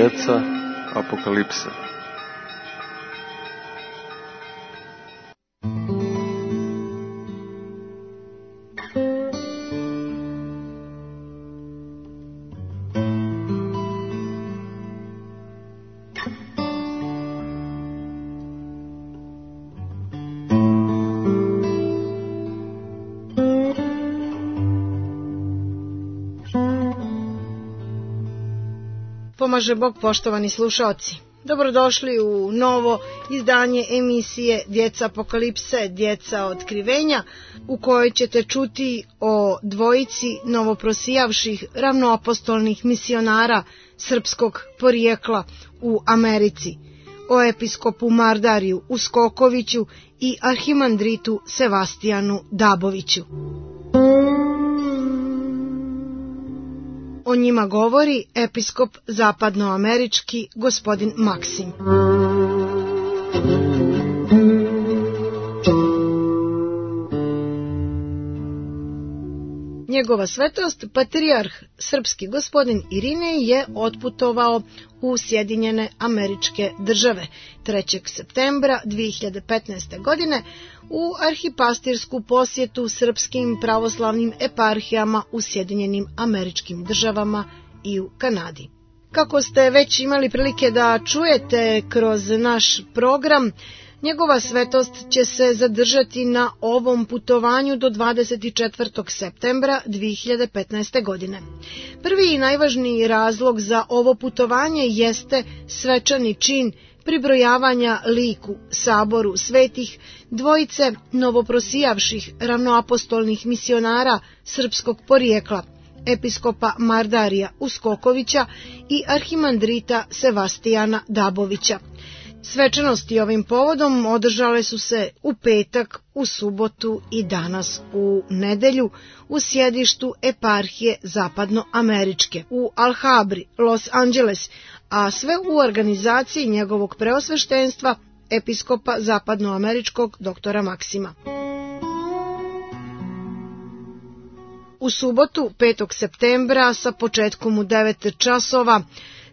djeca apokalipse. Pomaže Bog, poštovani slušaoci. Dobrodošli u novo izdanje emisije Djeca apokalipse, djeca otkrivenja, u kojoj ćete čuti o dvojici novoprosijavših ravnoapostolnih misionara srpskog porijekla u Americi, o episkopu Mardariju Uskokoviću i arhimandritu Sevastijanu Daboviću. O njima govori episkop zapadnoamerički gospodin Maksim. Njegova svetost, patrijarh srpski gospodin Irinej, je otputovao u Sjedinjene Američke Države 3. septembra 2015. godine u arhipastirsku posjetu srpskim pravoslavnim eparhijama u Sjedinjenim Američkim Državama i u Kanadi. Kako ste već imali prilike da čujete kroz naš program, njegova svetost će se zadržati na ovom putovanju do 24. septembra 2015. godine. Prvi i najvažniji razlog za ovo putovanje jeste svečani čin pribrojavanja liku saboru svetih dvojice novoprosijavših ravnoapostolnih misionara srpskog porijekla, episkopa Mardarija Uskokovića i arhimandrita Sevastijana Dabovića. Svečanosti ovim povodom održale su se u petak, u subotu i danas u nedelju u sjedištu eparhije zapadnoameričke u Alhabri, Los Angeles, a sve u organizaciji njegovog preosveštenstva episkopa zapadnoameričkog doktora Maksima. U subotu 5. septembra sa početkom u 9 časova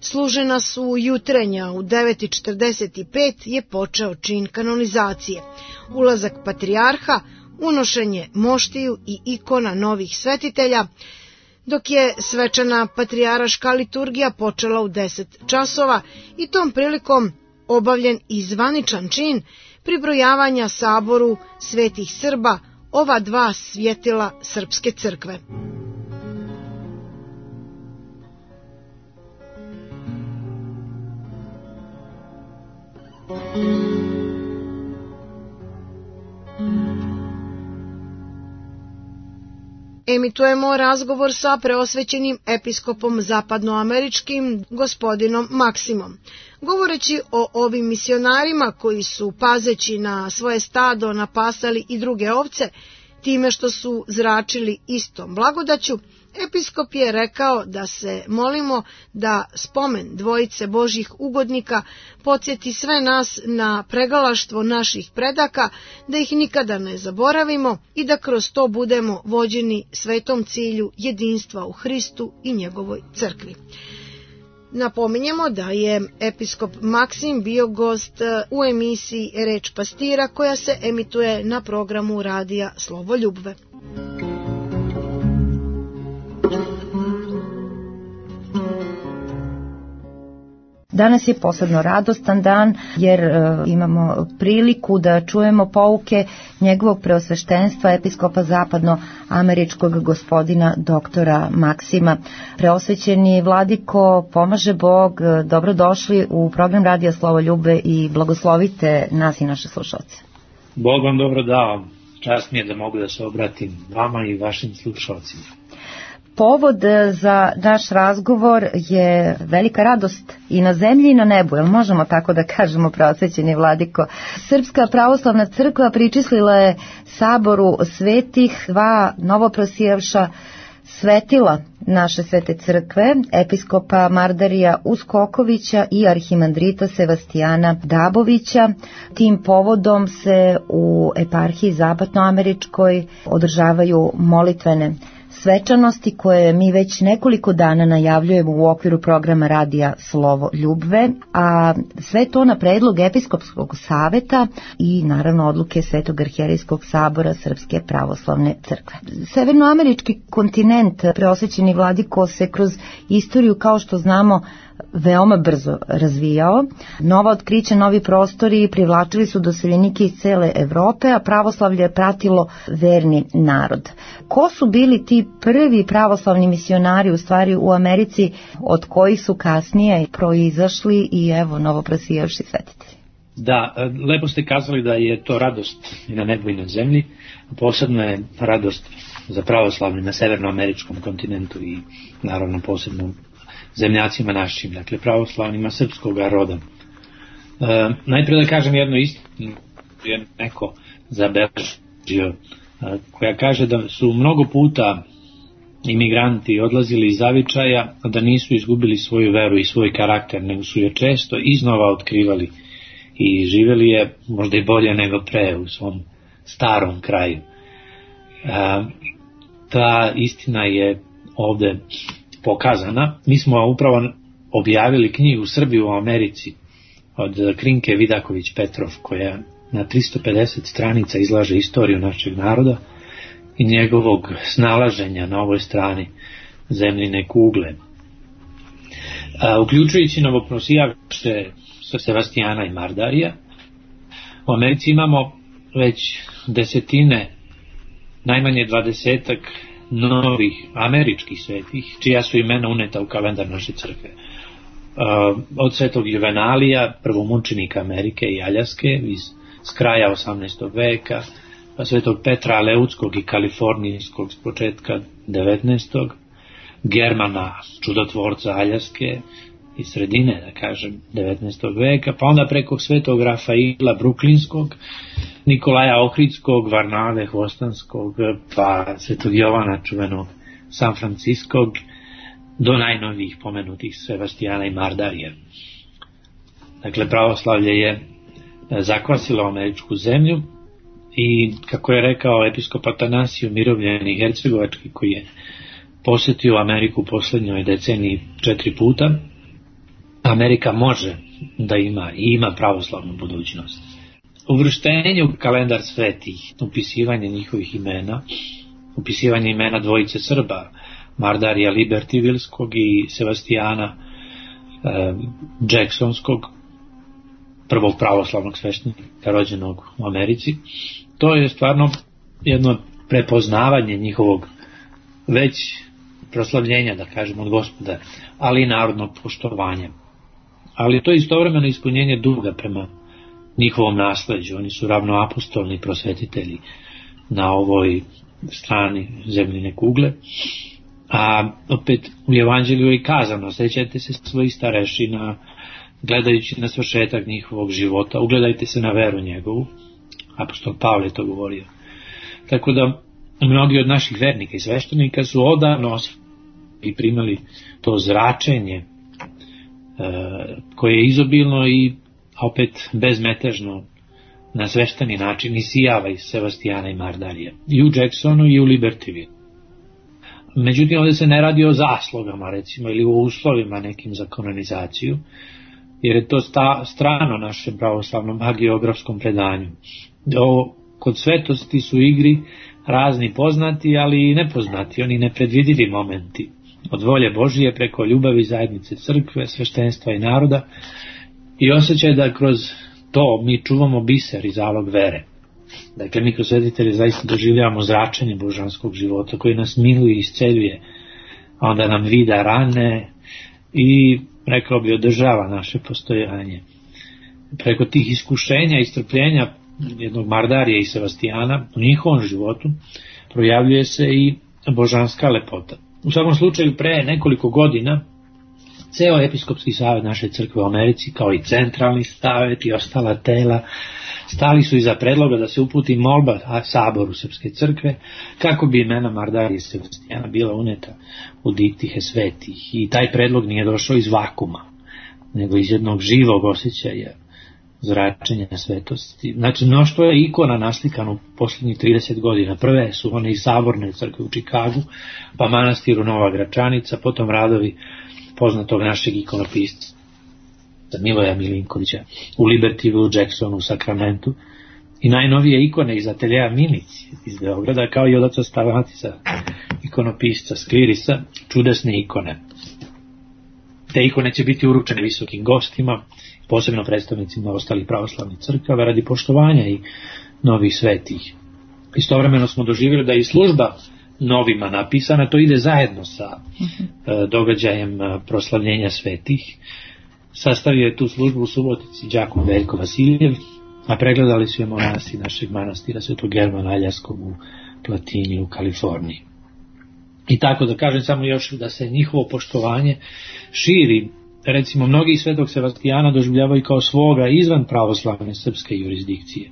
služena su jutrenja, u 9:45 je počeo čin kanonizacije, ulazak patrijarha, unošenje moštiju i ikona novih svetitelja, dok je svečana patrijaraška liturgija počela u 10 časova i tom prilikom obavljen i zvaničan čin pribrojavanja saboru svetih Srba, ova dva svjetila srpske crkve. Emitujemo razgovor sa preosvećenim episkopom zapadnoameričkim gospodinom Maksimom. Govoreći o ovim misionarima koji su, pazeći na svoje stado, napasali i druge ovce, time što su zračili istom blagodaću, episkop je rekao da se molimo da spomen dvojice Božjih ugodnika podsjeti sve nas na pregalaštvo naših predaka, da ih nikada ne zaboravimo i da kroz to budemo vođeni svetom cilju jedinstva u Hristu i njegovoj crkvi. Napominjemo da je episkop Maksim bio gost u emisiji Reč pastira koja se emituje na programu radija Slovo Ljubve. Danas je posebno radostan dan jer imamo priliku da čujemo pouke njegovog preosveštenstva episkopa zapadnoameričkog gospodina doktora Maksima. Preosvećeni vladiko, pomaže Bog, dobrodošli u program radija Slovo Ljubve i blagoslovite nas i naše slušalce. Bog vam dobro dao, čast mi je da mogu da se obratim vama i vašim slušalcima. Povod za naš razgovor je velika radost i na zemlji i na nebu, jel možemo tako da kažemo, preosvećeni vladiko? Srpska pravoslavna crkva pričислila je saboru svetih dva novoprosijavša svetila naše svete crkve, episkopa Mardarija Uskokovića i arhimandrita Sevastijana Dabovića. Tim povodom se u eparhiji zapadnoameričkoj održavaju molitvene svečanosti koje mi već nekoliko dana najavljujemo u okviru programa radija Slovo Ljubve, a sve to na predlog Episkopskog saveta i naravno odluke Svetog arhijerejskog sabora Srpske pravoslavne crkve. Severnoamerički kontinent, preosvećeni vladiko, se kroz istoriju, kao što znamo, veoma brzo razvijao. Nova otkrića, novi prostori privlačili su doseljenike iz cele Evrope, a pravoslavlje je pratilo verni narod. Ko su bili ti prvi pravoslavni misionari u stvari u Americi, od kojih su kasnije proizašli i evo novoprosijevši svetitelji? Da, lepo ste kazali da je to radost i na nebu i na zemlji. Posebno je radost za pravoslavni na severnoameričkom kontinentu i naravno posebno zemljacima našim, dakle pravoslavnima srpskog roda. Najprije da kažem jednu istinu, je neko zabeležio, koja kaže da su mnogo puta imigranti odlazili iz zavičaja, da nisu izgubili svoju veru i svoj karakter, nego su je često iznova otkrivali i živjeli je možda i bolje nego pre u svom starom kraju. Ta istina je ovde pokazana. Mi smo upravo objavili knjigu Srbi u Americi od Krinke Vidaković Petrov, koja na 350 stranica izlaže istoriju našeg naroda i njegovog snalaženja na ovoj strani zemljine kugle. Uključujući novoprosijavše Sevastijana i Mardarija, u Americi imamo već desetine, najmanje 20 novih američkih svetih, čija su imena uneta u kalendar naše crkve. Od svetog Juvenalija, prvomučenika Amerike i Aljaske s kraja 18. veka, pa svetog Petra Aleutskog i Kalifornijskog s početka 19. Germana, čudotvorca Aljaske iz sredine, da kažem, 19. veka, pa onda preko svetog Rafaila Bruklinskog, Nikolaja Ohridskog, Varnave Hvostanskog, pa svetog Jovana čuvenog San Franciskog, do najnovijih pomenutih Sevastijana i Mardarija. Dakle, pravoslavlje je zakvasilo američku zemlju i, kako je rekao episkop Atanasiju Mirovljeni Hercegovački, koji je posjetio Ameriku u poslednjoj deceniji 4 puta, Amerika može da ima i ima pravoslavnu budućnost. Uvrštenje u kalendar svetih, upisivanje njihovih imena, upisivanje imena dvojice Srba, Mardarija Libertivilskog i Sevastijana Jacksonskog, prvog pravoslavnog sveštenika rođenog u Americi, to je stvarno jedno prepoznavanje njihovog već proslavljenja, da kažem, od Gospoda, ali i narodnog poštovanja. Ali to je istovremeno ispunjenje duga prema njihovom nasleđu. Oni su ravnoapostolni prosvetitelji na ovoj strani zemljine kugle. A opet u Evanđelju je kazano, sećajte se svojih starešina, gledajući na svršetak njihovog života, ugledajte se na veru njegovu. Apostol Pavle je to govorio. Tako da mnogi od naših vernika i sveštenika su odavno i primali to zračenje koje je izobilno i opet bezmetežno na svešteni način isijava iz Sevastijana i Mardarija, i u Jacksonu i u Libertyville. Međutim, ovdje se ne radi o zaslugama, recimo, ili o uslovima nekim za kanonizaciju, jer je to strano našem pravoslavnom hagiografskom predanju. Kod svetosti su igri razni poznati, ali i nepoznati, oni nepredvidivi momenti, od volje Božije preko ljubavi zajednice crkve, sveštenstva i naroda, i osjećaj da kroz to mi čuvamo biser i zalog vere. Dakle, mi kroz svetitelje zaista doživljavamo zračenje božanskog života koji nas miluje i isceljuje, a onda nam vida rane i, rekao bi, održava naše postojanje. Preko tih iskušenja i strpljenja jednog Mardarija i Sevastijana u njihovom životu projavljuje se i božanska lepota. U svakom slučaju, pre nekoliko godina ceo episkopski savet naše crkve u Americi, kao i centralni savet i ostala tela, stali su iza predloga da se uputi molba saboru Srpske crkve kako bi imena Mardarija i Sevastijana bila uneta u diptihe svetih. I taj predlog nije došao iz vakuma, nego iz jednog živog osjećaja zračenja svetosti. Znači, mnoštvo je ikona naslikano u posljednjih 30 godina. Prve su one iz Saborne crkve u Čikagu, pa manastiru Nova Gračanica, potom radovi poznatog našeg ikonopisca Miloja Milinkovića u Libertyville, u Jacksonu, u Sakramentu, i najnovije ikone iz ateljeja Minici iz Beograda, kao i od oca Stavatisa, ikonopisca Skvirisa, čudesne ikone. Te ikone će biti uručene visokim gostima, posebno predstavnicima ostalih pravoslavnih crkava, radi poštovanja i novih svetih. Istovremeno smo doživjeli da je i služba novima napisana, to ide zajedno sa događajem proslavljenja svetih. Sastavio je tu službu u Subotici đakon Veljko Vasiljev, a pregledali su je monasi našeg manastira Svetog Germana Aljarskog u Platini u Kaliforniji. I tako da kažem samo još da se njihovo poštovanje širi. Recimo, mnogi Svetog Sevastijana doživljavaju kao svoga izvan pravoslavne srpske jurisdikcije.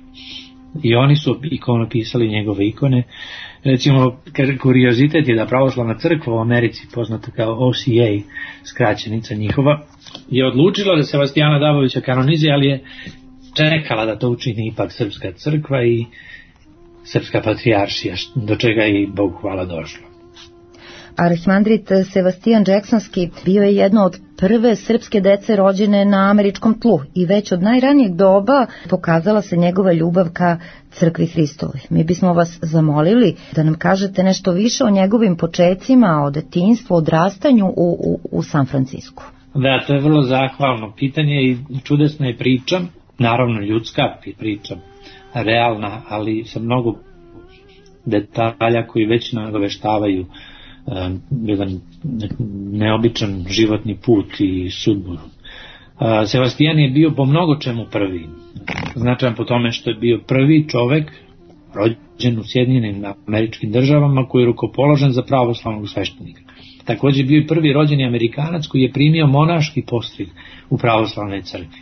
I oni su ikonopisali njegove ikone. Recimo, kuriozitet je da pravoslavna crkva u Americi, poznata kao OCA, skraćenica njihova, je odlučila da Sevastijana Dabovića kanonizuje, ali je čekala da to učini ipak srpska crkva i srpska patrijaršija, do čega je i Bogu hvala došlo. Arhimandrit Sebastijan Jacksonski bio je jedno od prve srpske dece rođene na američkom tlu i već od najranijeg doba pokazala se njegova ljubav ka crkvi Hristovoj. Mi bismo vas zamolili da nam kažete nešto više o njegovim počecima, o detinjstvu, odrastanju u San Francisku. Da, to je vrlo zahvalno pitanje i čudesna je priča, naravno ljudska priča, realna, ali sa mnogo detalja koji već nagoveštavaju jedan neobičan životni put i sudbu. Sebastijan je bio po mnogo čemu prvi. Značajan po tome što je bio prvi čovek rođen u Sjedinjenim Američkim Državama koji je rukopoložen za pravoslavnog sveštenika. Također bio i prvi rođeni Amerikanac koji je primio monaški postrig u pravoslavnoj crkvi.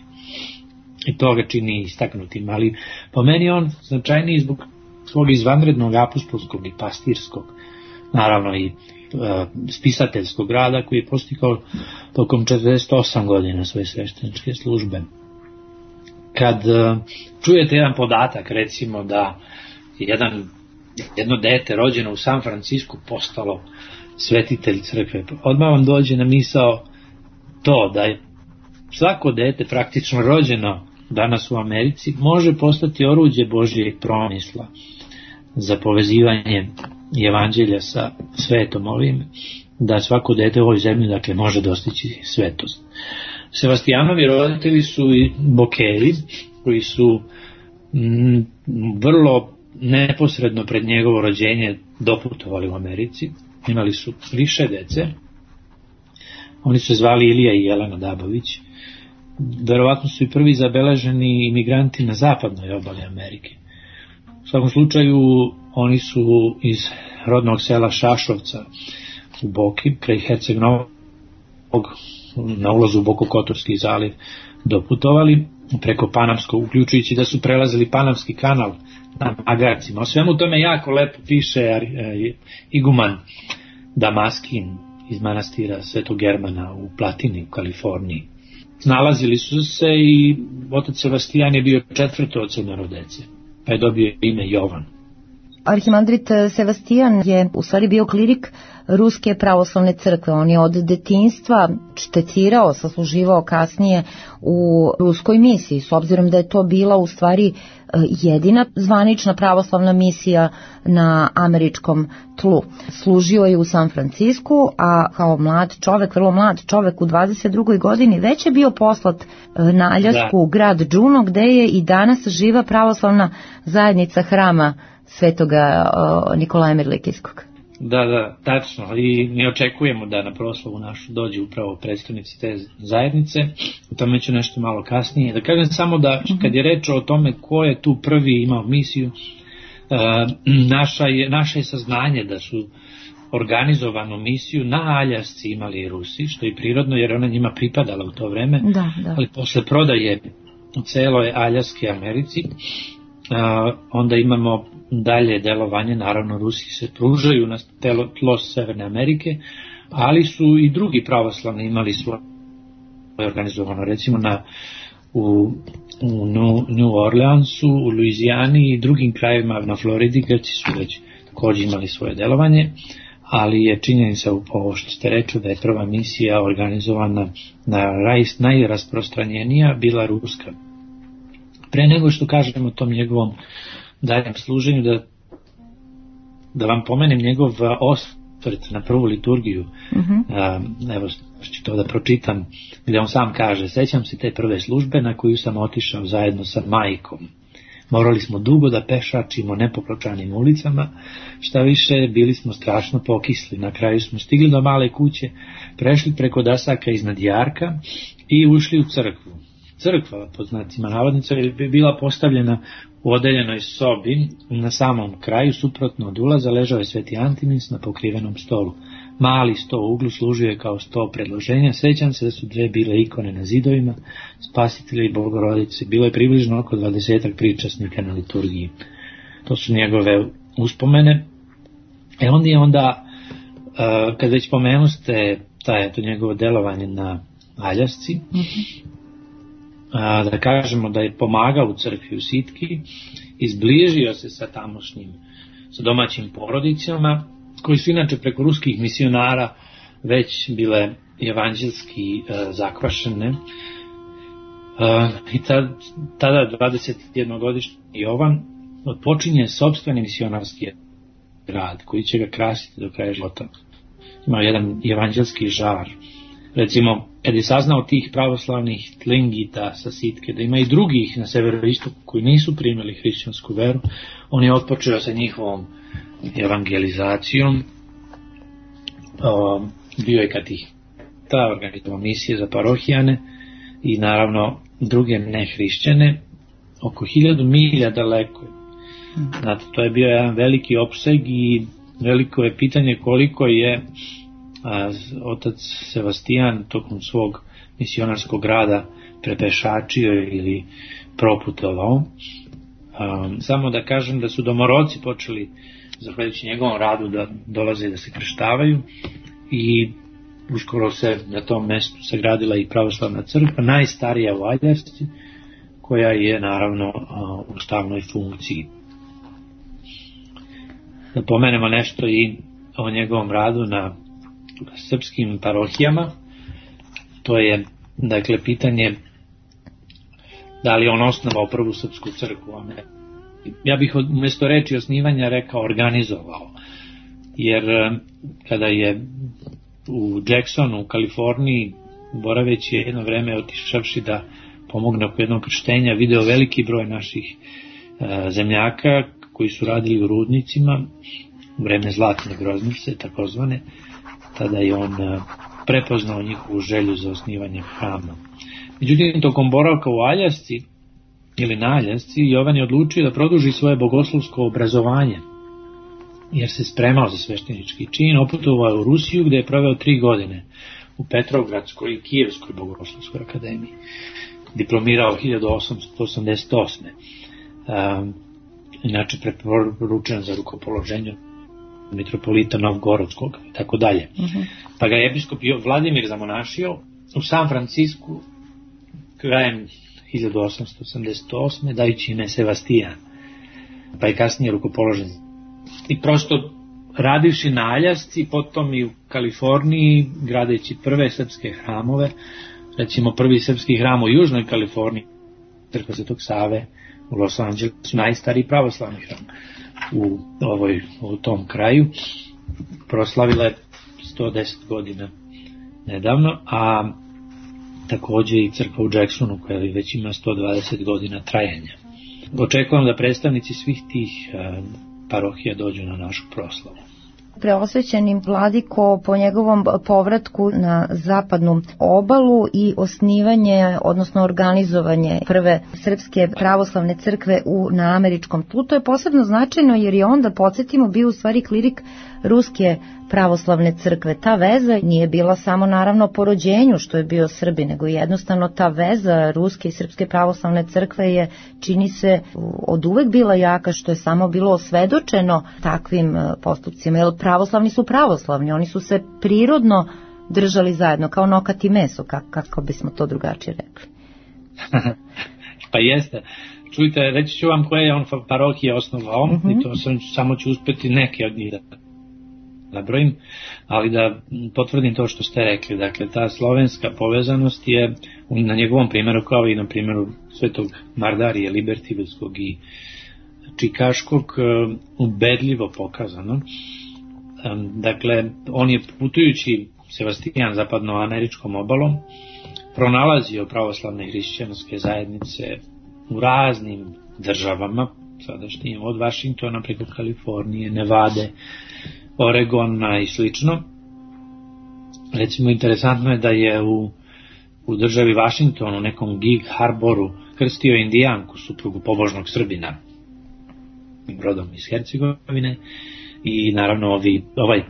I to ga čini istaknutim, ali po meni on značajniji zbog svog izvanrednog apostolskog i pastirskog, naravno i spisateljskog rada koji je postigao tokom 48 godina svoje svešteničke službe. Kad čujete jedan podatak, recimo da jedno dete rođeno u San Francisku postalo svetitelj crkve, odmah vam dođe na misao to da je svako dete praktično rođeno danas u Americi može postati oruđe Božjeg promisla za povezivanje evanđelja sa svetom ovim, da svako dete u ovoj zemlji dakle može dostići svetost. Sevastijanovi roditelji su i Bokeri, koji su vrlo neposredno pred njegovo rođenje doputovali u Americi. Imali su više dece. Oni su zvali Ilija i Jelena Dabović. Verovatno su i prvi zabeleženi imigranti na zapadnoj obali Amerike. U svakom slučaju oni su iz rodnog sela Šašovca u Boki, kraj Herceg Novog, na ulazu u Bokokotorski zaliv doputovali preko Panamskog, uključujući da su prelazili Panamski kanal na magarcima. O svemu tome jako lepo piše iguman Damaskin iz manastira Svetog Germana u Platini u Kaliforniji. Nalazili su se i otac Sebastijan je bio četvrto od 7 dece, pa je dobio ime Jovan. Arhimandrit Sebastijan je u stvari bio klirik Ruske pravoslavne crkve. On je od detinjstva štetírao, sasluživao kasnije u ruskoj misiji, s obzirom da je to bila u stvari jedina zvanična pravoslavna misija na američkom tlu. Služio je u San Francisku, a kao mlad čovek, vrlo mlad čovek u 22. godini već je bio poslat na Aljasku u grad Juneau, gde je i danas živa pravoslavna zajednica hrama Svetoga Nikolaja Mirlikijskog. Da, tačno. I mi očekujemo da na proslavu našu dođe upravo predstavnici te zajednice. O tome ću nešto malo kasnije. Da kažem samo da kad je reč o tome ko je tu prvi imao misiju, naše je saznanje da su organizovanu misiju na Aljasci imali i Rusi, što je prirodno jer ona njima pripadala u to vreme. Da. Ali posle prodaje celoj Aljaske Americi, onda imamo dalje delovanje, naravno Rusi se pružaju na tlo Severne Amerike, ali su i drugi pravoslavni imali svoje organizovano, recimo na u New Orleansu, u Luizijani i drugim krajevima na Floridi. Grci su već također imali svoje delovanje, ali je činjenica ovo što ste rekli da je prva misija organizovana najrasprostranjenija bila ruska. Pre nego što kažem o tom njegovom daljem služenju, da vam pomenem njegov osvrt na prvu liturgiju. Evo ću to da pročitam, gdje on sam kaže: sećam se te prve službe na koju sam otišao zajedno sa majkom. Morali smo dugo da pešačimo nepopločanim ulicama, šta više bili smo strašno pokisli. Na kraju smo stigli do male kuće, prešli preko dasaka iznad jarka i ušli u crkvu. Crkva, pod znacima navodnica, je bila postavljena u odeljenoj sobi. Na samom kraju, suprotno od ulaza, ležao je Sveti Antimis na pokrivenom stolu. Mali sto u uglu služio je kao sto predloženja. Sećam se da su dve bile ikone na zidovima, Spasitelja i Bogorodice. Bilo je približno oko 20 pričasnika na liturgiji. To su njegove uspomene. Onda, kad već pomenuste to njegovo delovanje na Aljasci, da kažemo da je pomagao u crkvi u Sitki, izbližio se sa domaćim porodicama, koji su inače preko ruskih misionara već bile evanđelski zakvašene. I tada 21-godišnji Jovan odpočinje sopstveni misionarski rad koji će ga krasiti do kraja života. Imao jedan evanđelski žar. Recimo, kad je saznao tih pravoslavnih tlingita sa Sitke, da ima i drugih na severoistoku koji nisu primili hrišćansku veru, on je otpočeo sa njihovom evangelizacijom. Bio je katiheta, organizovao misije za parohijane i naravno druge nehrišćane, oko 1000 milja daleko. Znate, to je bio jedan veliki opseg i veliko je pitanje koliko je otac Sebastijan tokom svog misionarskog rada prepešačio ili proputovao. Samo da kažem da su domoroci počeli, zahvaljujući njegovom radu, da dolaze i da se krštavaju, i uskoro se na tom mestu sagradila i pravoslavna crkva, najstarija u Aljasci, koja je naravno u stalnoj funkciji. Da pomenemo nešto i o njegovom radu na srpskim parohijama. To je, dakle, pitanje da li on osnovao prvu srpsku crkvu, a ne. Ja bih umjesto reči osnivanja rekao organizovao, jer kada je u Jacksonu u Kaliforniji boraveći jedno vreme, otišavši da pomogne oko jednog krštenja, video veliki broj naših zemljaka koji su radili u rudnicima u vreme zlatne groznice takozvane. Tada je on prepoznao njihovu želju za osnivanje hrama. Međutim, tokom boravka u Aljasci ili na Aljasci, Jovan je odlučio da produži svoje bogoslovsko obrazovanje, jer se spremao za sveštenički čin. Oputovao je u Rusiju, gdje je proveo 3 godine u Petrovgradskoj i Kijevskoj bogoslovskoj akademiji. Diplomirao 1888. Inače preporučen za rukopoloženje mitropolita Novgorodskog i tako dalje. Pa ga je episkop Vladimir zamonašio u San Francisku krajem 1888. dajući ime Sebastijan, pa je kasnije rukopoložen. I prosto radivši na Aljasci, potom i u Kaliforniji, gradeći prve srpske hramove, recimo prvi srpski hram u Južnoj Kaliforniji, crkva Svetog Save u Los Angelesu, najstariji pravoslavni hram u tom kraju, proslavila je 110 godina nedavno, a također i crkva u Jacksonu koja već ima 120 godina trajanja. Očekujem da predstavnici svih tih parohija dođu na našu proslavu. Preosvećeni vladiko, po njegovom povratku na zapadnu obalu i osnivanje, odnosno organizovanje prve srpske pravoslavne crkve na američkom tlu, to je posebno značajno jer je onda, podsjetimo, bio u stvari klirik ruske pravoslavne crkve. Ta veza nije bila samo naravno po rođenju što je bio Srbi, nego jednostavno ta veza ruske i srpske pravoslavne crkve je, čini se, od uvek bila jaka, što je samo bilo osvedočeno takvim postupcima, jer pravoslavni su pravoslavni, oni su se prirodno držali zajedno, kao nokat i meso, kako bismo to drugačije rekli. Pa jeste. Čujte, reći ću vam koje je on parohije osnovao, i to samo ću uspeti neke od njih da nabrojim, ali da potvrdim to što ste rekli. Dakle, ta slovenska povezanost je na njegovom primjeru, kao i na primjeru svetog Mardarije, Libertivudskog i Čikaškog, ubedljivo pokazano. Dakle, on je putujući Sebastijan zapadnoameričkom obalom pronalazio pravoslavne hrišćanske zajednice u raznim državama, sadašnjim, od Vašingtona preko Kalifornije, Nevade, Oregona i slično. Recimo, interesantno je da je u državi Vašingtonu, u nekom Gig Harboru, krstio Indijanku, suprugu pobožnog Srbina, rodom iz Hercegovine, i naravno ovaj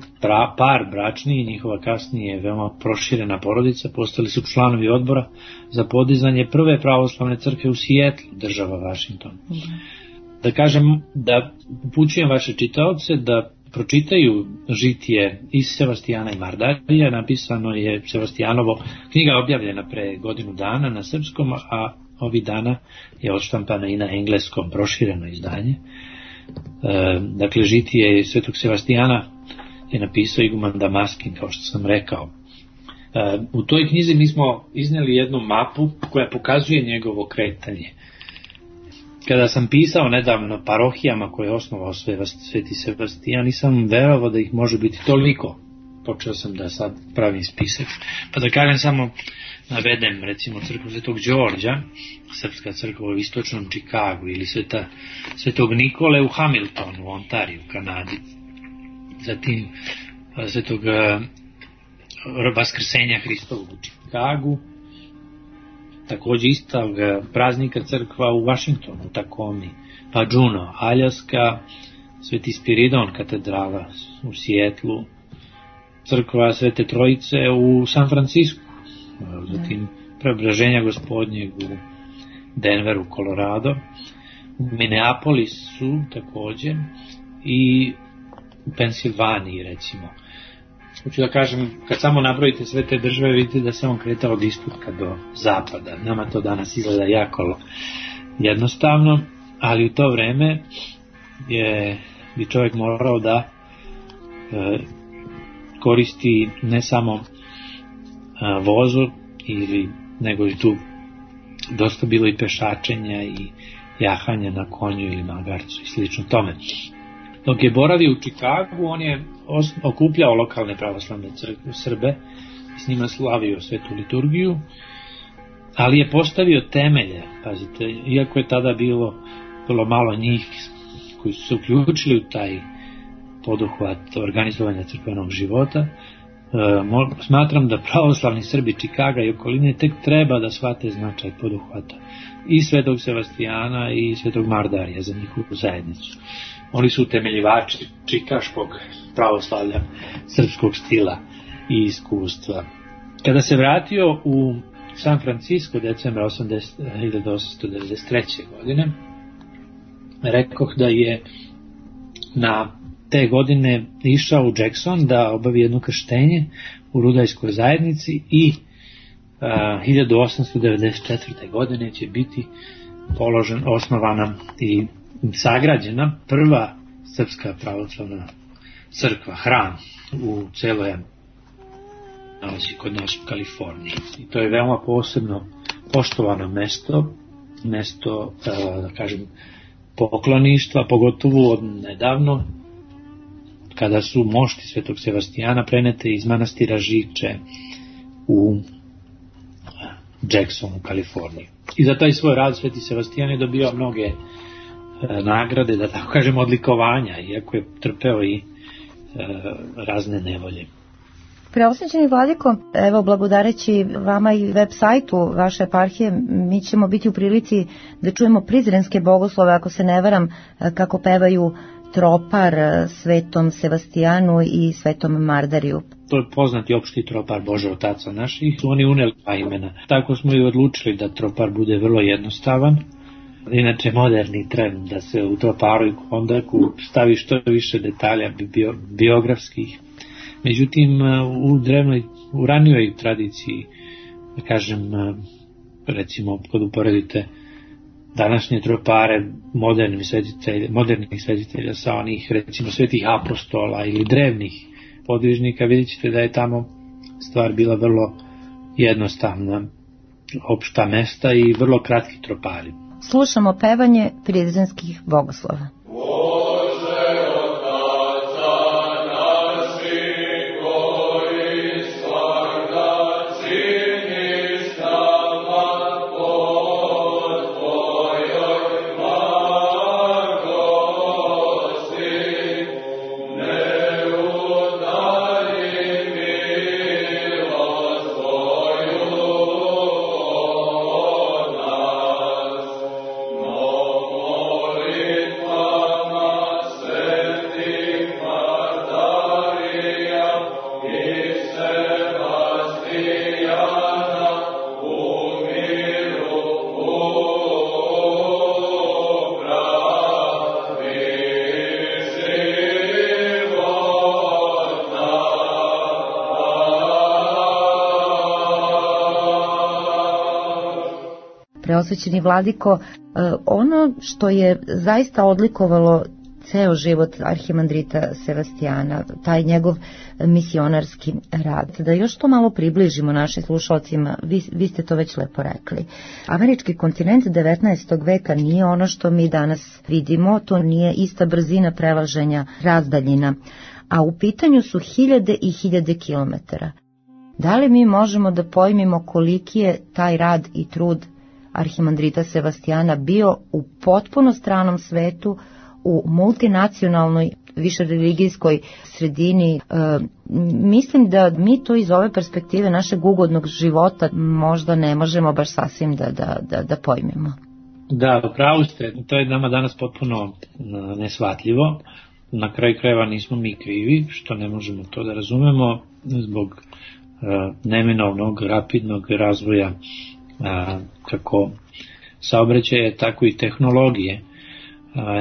par bračni i njihova kasnije veoma proširena porodica postali su članovi odbora za podizanje prve pravoslavne crkve u Sijetlu, država Vašington. Da kažem, da upućujem vaše čitaoce da pročitaju žitije iz Sebastijana i Mardarija. Napisano je Sebastijanovo, knjiga je objavljena pre godinu dana na srpskom, a ovih dana je odštampana i na engleskom, prošireno izdanje. Dakle, žitije svetog Sebastijana je napisao iguman Damaskin, kao što sam rekao. U toj knjizi mi smo iznijeli jednu mapu koja pokazuje njegovo kretanje. Kada sam pisao nedavno parohijama koje je osnovao sveti Sebastijan, nisam verovao da ih može biti toliko. Počeo sam da sad pravim spisak. Pa da kažem samo, navedem recimo crkvu svetog Đorđa, srpska crkva u istočnom Čikagu, ili svetog Nikole u Hamiltonu, u Ontariju, u Kanadi. Zatim svetog Vaskrsenja Hristovog u Čikagu, takođe istog praznika crkva u Vašingtonu, u Takomi, pa Juneau, Aljaska, Sveti Spiridon katedrala u Sijetlu, crkva Svete Trojice u San Francisku, zatim Preobraženja Gospodnjeg u Denveru, Colorado, u Minneapolisu takođe i u Pensilvaniji recimo. Hoću da kažem, kad samo nabrojite sve te države, vidite da se on kretao od istoka do zapada. Nama to danas izgleda jako jednostavno, ali u to vreme bi čovjek morao da koristi ne samo vozu, nego i tu dosta bilo i pešačenja i jahanja na konju ili magarcu i slično tome. Dok je boravio u Čikagu, on je okupljao lokalne pravoslavne Srbe i s njima slavio svetu liturgiju, ali je postavio temelje, pazite, iako je tada bilo malo njih koji su se uključili u taj poduhvat organizovanja crkvenog života. Smatram da pravoslavni Srbi Čikaga i okoline tek treba da shvate značaj poduhvata i svetog Sebastijana i svetog Mardarija za njihovu zajednicu. Oni su utemeljivači čikaškog pravoslavlja, srpskog stila i iskustva. Kada se vratio u San Francisco decembra 1893. godine, rekoh da je na te godine išao u Jackson da obavi jedno krštenje u rudajskoj zajednici i 1894. godine će biti osnovana i sagrađena prva srpska pravoslavna crkva, hram u celoj nalazi kod nas u Kaliforniji. I to je veoma posebno poštovano mesto, da kažem, pokloništva, pogotovo od nedavno, kada su mošti svetog Sebastijana prenete iz manastira Živče u Jackson u Kaliforniji. I za taj svoj rad sveti Sebastijan je dobio mnoge nagrade, da tako kažem, odlikovanja, iako je trpeo i razne nevolje. Preosvećeni vladiko, evo, blagodareći vama i web sajtu vaše eparhije, mi ćemo biti u prilici da čujemo prizrenske bogoslove, ako se ne varam, kako pevaju tropar svetom Sebastijanu i svetom Mardariju. To je poznati opšti tropar Bože Otaca naših, oni uneli dva imena. Tako smo i odlučili da tropar bude vrlo jednostavan. Inače, moderni trend da se u troparu i kondaku stavi što više detalja biografskih. Međutim, u ranijoj tradiciji, da kažem, recimo kad uporedite današnje tropare modernih svetitelja sa onih recimo svetih apostola ili drevnih podvižnika, vidjet ćete da je tamo stvar bila vrlo jednostavna, opšta mesta i vrlo kratki tropari. Slušamo pevanje prizrenskih bogoslova. Preosvećeni vladiko, ono što je zaista odlikovalo ceo život arhimandrita Sevastijana, taj njegov misionarski rad, da još to malo približimo našim slušalcima, vi ste to već lepo rekli. Američki kontinent 19. veka nije ono što mi danas vidimo, to nije ista brzina prelaženja razdaljina, a u pitanju su hiljade i hiljade kilometara. Da li mi možemo da pojmimo koliki je taj rad i trud arhimandrita Sevastijana bio u potpuno stranom svetu, u multinacionalnoj, višereligijskoj sredini? Mislim da mi to iz ove perspektive našeg ugodnog života možda ne možemo baš sasvim da pojmimo. Da, upravo ste, to je nama danas potpuno neshvatljivo. Na kraju krajeva nismo mi krivi, što ne možemo to da razumemo zbog neminovnog, rapidnog razvoja kako saobraćaja, tako i tehnologije.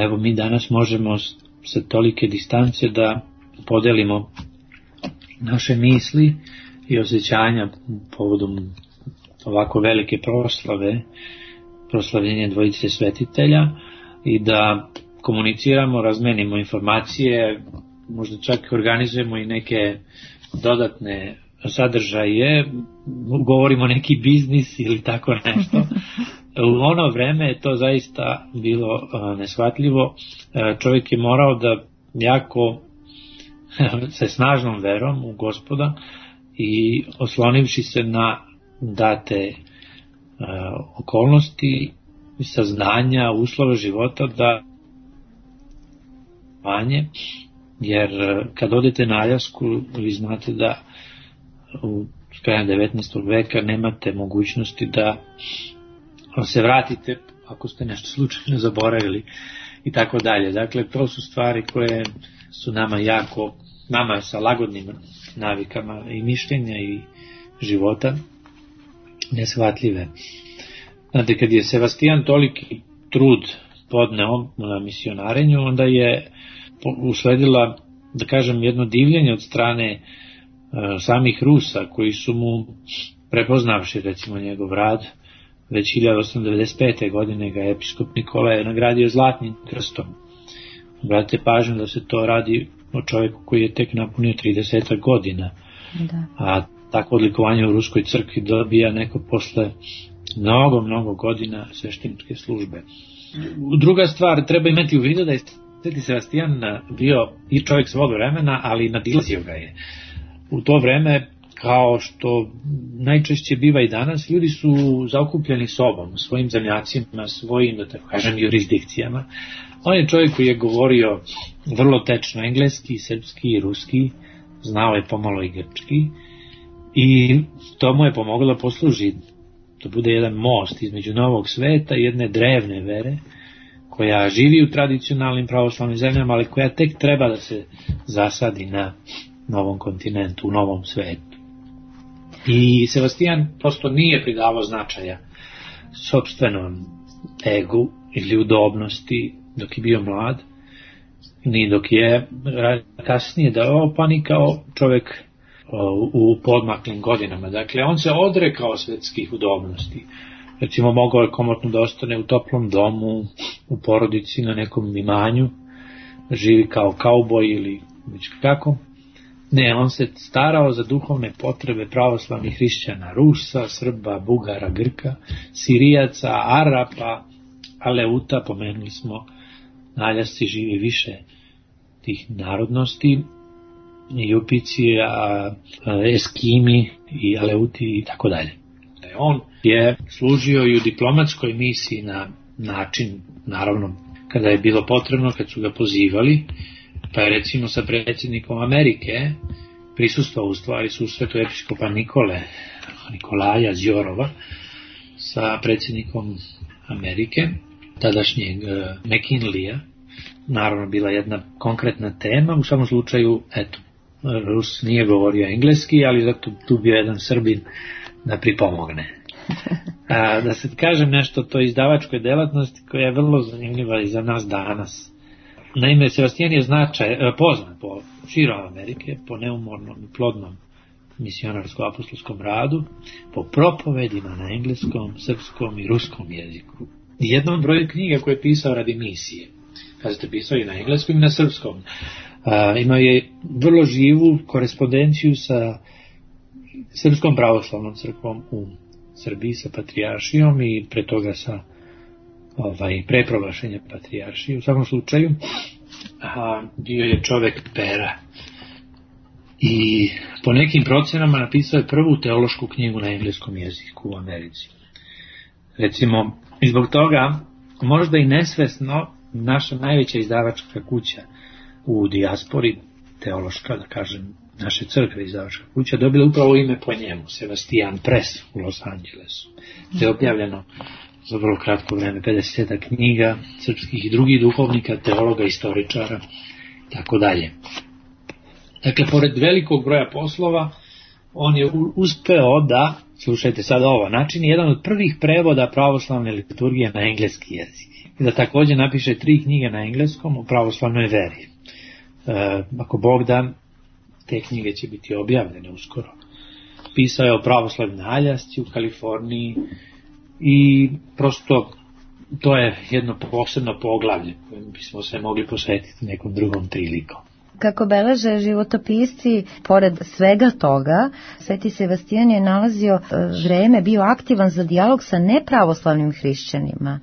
Evo mi danas možemo sa tolike distance da podelimo naše misli i osjećanja povodom ovako velike proslavljenja dvojice svetitelja i da komuniciramo, razmenimo informacije, možda čak organizujemo i neke dodatne sadržaje, govorimo neki biznis ili tako nešto. U ono vreme je to zaista bilo neshvatljivo. Čovjek je morao da jako sa snažnom verom u Gospoda i oslonivši se na date okolnosti, saznanja, uslove života da jer kad odete na Aljasku vi znate da u krajem 19. veka nemate mogućnosti da se vratite ako ste nešto slučajno zaboravili i tako dalje. Dakle, to su stvari koje su nama sa lagodnim navikama i mišljenja i života neshvatljive. Znate, kad je Sevastijan toliki trud podneo na misionarenju, onda je usledila, da kažem, jedno divljenje od strane samih Rusa, koji su mu, prepoznavši recimo njegov rad, već 1895. godine ga episkop Nikolaj nagradio Zlatnim krstom. Obratite pažnju da se to radi o čovjeku koji je tek napunio 30 godina. Da. A tako odlikovanje u Ruskoj crkvi dobija neko posle mnogo godina svešteničke službe. Druga stvar, treba imati u vidu da je Sveti Sevastijan bio i čovjek svog vremena, ali nadilazio ga je. U to vreme, kao što najčešće biva i danas, ljudi su zaokupljeni sobom, svojim zemljacima, svojim, da tako kažem, jurisdikcijama. On je čovjek koji je govorio vrlo tečno engleski, srpski i ruski, znao je pomalo i grčki i to mu je pomoglo da posluži, da bude jedan most između novog sveta i jedne drevne vere, koja živi u tradicionalnim pravoslavnim zemljama, ali koja tek treba da se zasadi na novom kontinentu, u novom svetu. I Sevastijan prosto nije pridavao značaja sopstvenom egu ili udobnosti dok je bio mlad, ni dok je kasnije dao, pa ni kao čovjek u podmaklim godinama. Dakle, on se odrekao svetskih udobnosti. Recimo, mogao je komotno da ostane u toplom domu, u porodici, na nekom imanju, živi kao kauboj ili već kako. Ne, on se starao za duhovne potrebe pravoslavnih hrišćana, Rusa, Srba, Bugara, Grka, Sirijaca, Arapa, Aleuta, pomenuli smo, na Aljasci živi više tih narodnosti, Jupici, Eskimi i Aleuti i tako dalje. On je služio i u diplomatskoj misiji na način, naravno, kada je bilo potrebno, kad su ga pozivali, pa je recimo sa predsjednikom Amerike prisustvovao u stvari susretu episkopa Nikolaja Zjorova sa predsjednikom Amerike, tadašnjeg McKinleya. Naravno, bila jedna konkretna tema, u svakom slučaju, eto, Rus nije govorio engleski, ali zato tu bio jedan Srbin da pripomogne. Da se kažem nešto o toj izdavačkoj delatnosti koja je vrlo zanimljiva i za nas danas. Naime, Sebastijan je poznat po širom Amerike, po neumornom i plodnom misionarskom-apostolskom radu, po propovedima na engleskom, srpskom i ruskom jeziku. Jednom broju knjiga koje je pisao radi misije. Kažete, pisao i na engleskom i na srpskom. Imao je vrlo živu korespondenciju sa Srpskom pravoslavnom crkvom u Srbiji, sa patrijaršijom i pre toga sa pre proglašenja patrijaršije. U svakom slučaju, bio je čovek pera. I po nekim procenama napisao je prvu teološku knjigu na engleskom jeziku u Americi. Recimo, i zbog toga, možda i nesvesno, naša najveća izdavačka kuća u dijaspori, teološka, da kažem, naše crkve izdavačka kuća, dobila upravo ime po njemu, Sebastian Press u Los Angelesu. To je objavljeno za vrlo kratko vreme 50 knjiga srpskih i drugih duhovnika, teologa, istoričara, tako dalje. Dakle, pored velikog broja poslova, on je uspeo da, slušajte sad ovo, načini jedan od prvih prevoda pravoslavne liturgije na engleski jezik. I da također napiše 3 knjige na engleskom o pravoslavnoj veri. Ako Bog da, te knjige će biti objavljene uskoro. Pisao je o pravoslavnoj na Aljasci u Kaliforniji i prosto to je jedno posebno poglavlje kojem bismo se mogli posvetiti nekom drugom prilikom. Kako beleže životopisci, pored svega toga, Sveti Sebastijan je nalazio vreme, bio aktivan za dijalog sa nepravoslavnim hrišćanima.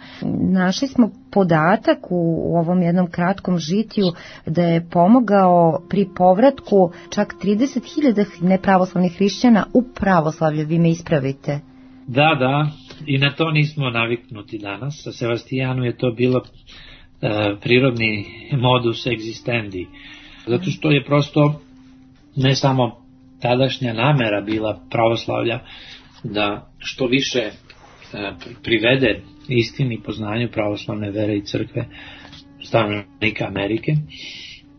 Našli smo podatak u ovom jednom kratkom žitiju da je pomogao pri povratku čak 30.000 nepravoslavnih hrišćana u pravoslavlje, vi me ispravite. Da, i na to nismo naviknuti danas. Sa Sebastijanu je to bilo prirodni modus existendi. Zato što je prosto ne samo tadašnja namera bila pravoslavlja da što više privede istini poznanju pravoslavne vere i crkve stanovnika Amerike,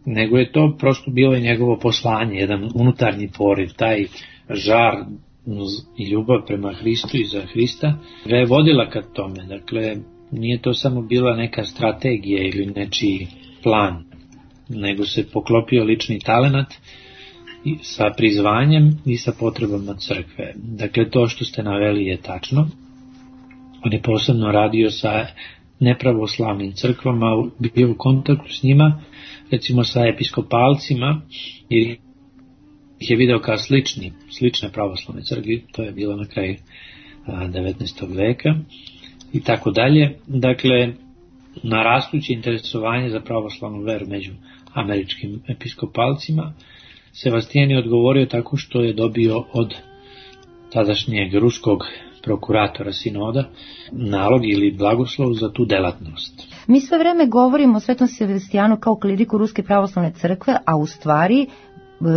nego je to prosto bilo i njegovo poslanje, jedan unutarnji poriv, taj žar i ljubav prema Hristu i za Hrista ga je vodila ka tome. Dakle, nije to samo bila neka strategija ili nečiji plan, nego se poklopio lični talenat sa prizvanjem i sa potrebama crkve. Dakle, to što ste naveli je tačno. On je posebno radio sa nepravoslavnim crkvama, bio u kontaktu s njima, recimo sa episkopalcima, jer ih je video kao slične pravoslavne crkve, to je bilo na kraju 19. veka i tako dalje. Dakle, na rastuće interesovanje za pravoslavnu veru među američkim episkopalcima, Sebastijan je odgovorio tako što je dobio od tadašnjeg ruskog prokuratora sinoda nalog ili blagoslov za tu delatnost. Mi sve vreme govorimo o Svetom Sebastijanu kao kliriku Ruske pravoslavne crkve, a u stvari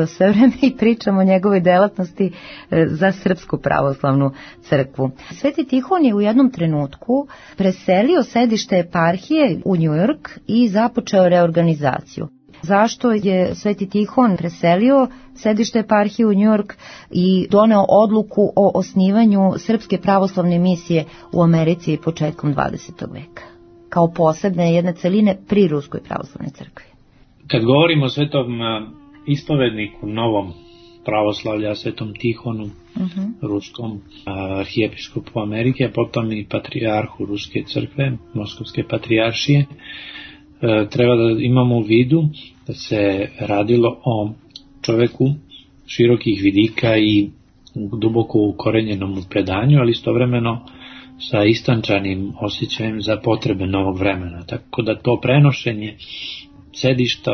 sve vreme i pričamo o njegovoj delatnosti za Srpsku pravoslavnu crkvu. Sveti Tihon je u jednom trenutku preselio sedište eparhije u New York i započeo reorganizaciju. Zašto je Sveti Tihon preselio sedište eparhije u New York i doneo odluku o osnivanju Srpske pravoslavne misije u Americi početkom 20. veka, kao posebne jedne celine pri Ruskoj pravoslavnoj crkvi? Kad govorimo o svetom ispovedniku novom pravoslavlja, Svetom Tihonu, ruskom arhijepiskopu Amerike, a potom i patrijarhu Ruske crkve, Moskovske patrijaršije. Treba da imamo u vidu da se radilo o čoveku širokih vidika i duboko ukorenjenom u predanju, ali istovremeno sa istančanim osjećajem za potrebe novog vremena. Tako da to prenošenje sedišta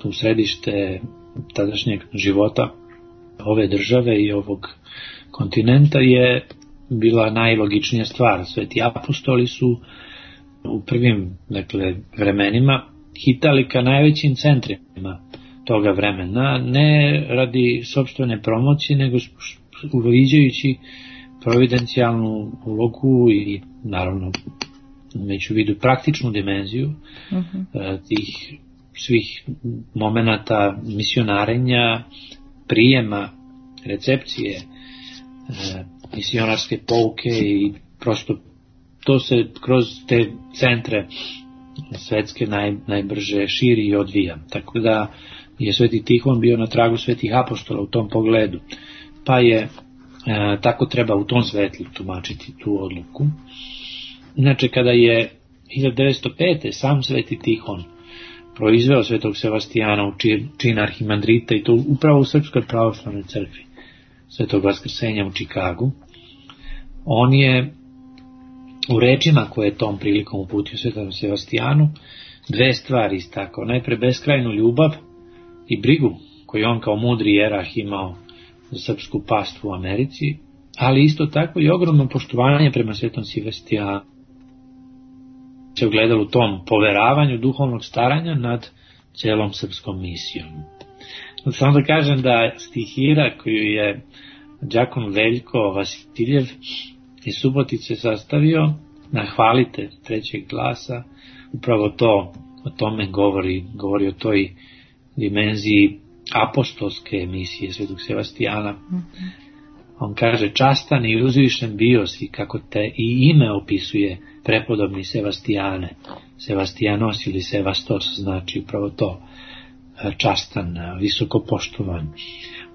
u središte tadašnjeg života ove države i ovog kontinenta je bila najlogičnija stvar. Sveti apostoli su u prvim vremenima hitali ka najvećim centrima toga vremena, ne radi sopstvene promocije, nego uviđajući providencijalnu ulogu i naravno već u vidu praktičnu dimenziju tih svih momenata misionarenja, prijema, recepcije, misionarske pouke i prosto to se kroz te centre svetske najbrže širi i odvija. Tako da je Sveti Tihon bio na tragu svetih apostola u tom pogledu, pa je tako treba u tom svetlu tumačiti tu odluku. Inače, kada je 1905. sam Sveti Tihon proizveo svetog Sevastijana u čin arhimandrita, i to upravo u Srpskoj pravoslavnoj crkvi Svetog Vaskrsenja u Čikagu, on je u rečima koje je tom prilikom uputio svetom Sevastijanu dve stvari istakao. Najpre beskrajnu ljubav i brigu koju on kao mudri jerah imao za srpsku pastvu u Americi, ali isto tako i ogromno poštovanje prema svetom Sevastijanu se ogledalo u tom poveravanju duhovnog staranja nad celom srpskom misijom. Samo da kažem da stihira koju je đakon Veljko Vasiljev iz Subotice sastavio na Hvalite trećeg glasa, upravo to o tome govori o toj dimenziji apostolske misije svetog Sevastijana. On kaže: častan i uzvišen bio si, kako te i ime opisuje prepodobni Sevastijane. Sevastijanos ili Sevastos znači upravo to, častan, visoko poštovan.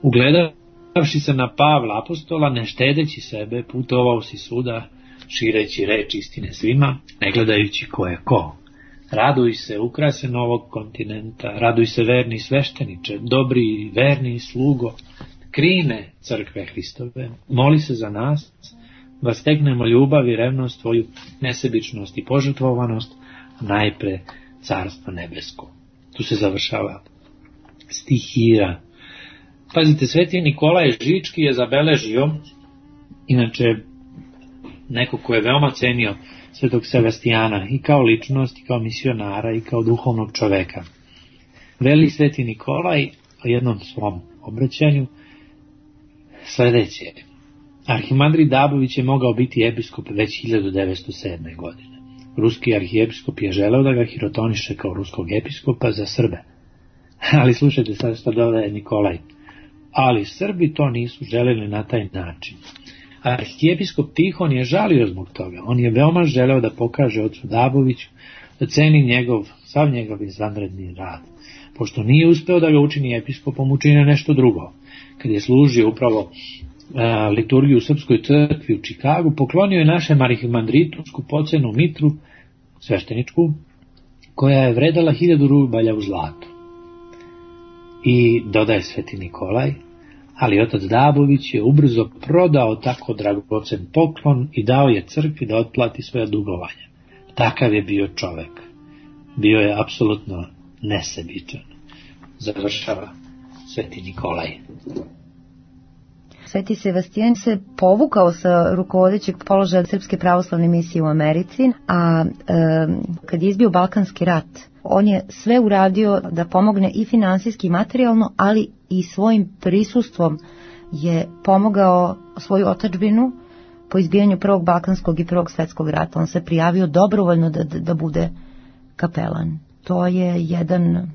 Ugledavši se na Pavla apostola, ne štedeći sebe, putovao si svuda, šireći reč istine svima, ne gledajući ko je ko. Raduj se, ukrasen ovog kontinenta, raduj se, verni svešteniče, dobri i verni slugo, krine crkve Hristove, moli se za nas, da stegnemo ljubav i revnost tvoju, nesebičnost i požrtvovanost, najpre carstvo nebesko. Tu se završava stihira. Pazite, Sveti Nikolaj Žički je zabeležio, inače neko ko je veoma cenio svetog Sevastijana i kao ličnost, i kao misionara, i kao duhovnog čoveka. Veli Sveti Nikolaj o jednom svom obraćanju sledeće: arhimandrit Dabović je mogao biti episkop već 1907. godine. Ruski arhijepiskop je želeo da ga hirotoniše kao ruskog episkopa za Srbe. Ali slušajte sad što dodaje Nikolaj. Ali Srbi to nisu želeli na taj način. Arhijepiskop Tihon je žalio zbog toga. On je veoma želeo da pokaže ocu Daboviću da ceni sav njegov izvanredni rad. Pošto nije uspeo da ga učini episkopom, učine nešto drugo. Kad je služio upravo liturgiju u Srpskoj crkvi u Čikagu, poklonio je našem arhimandritu skupocenu mitru svešteničku, koja je vredala 1000 rubalja u zlatu. I dodaje Sveti Nikolaj: ali otac Dabović je ubrzo prodao tako dragocen poklon i dao je crkvi da otplati svoja dugovanja. Takav je bio čovek. Bio je apsolutno nesebičan. Završava Sveti Nikolaj. Sveti Sevastijan se povukao sa rukovodećeg položaja Srpske pravoslavne misije u Americi, a kad je izbio Balkanski rat, on je sve uradio da pomogne i finansijski i materijalno, ali i svojim prisustvom je pomogao svoju otadžbinu po izbijanju Prvog Balkanskog i Prvog svetskog rata. On se prijavio dobrovoljno da bude kapelan. To je jedan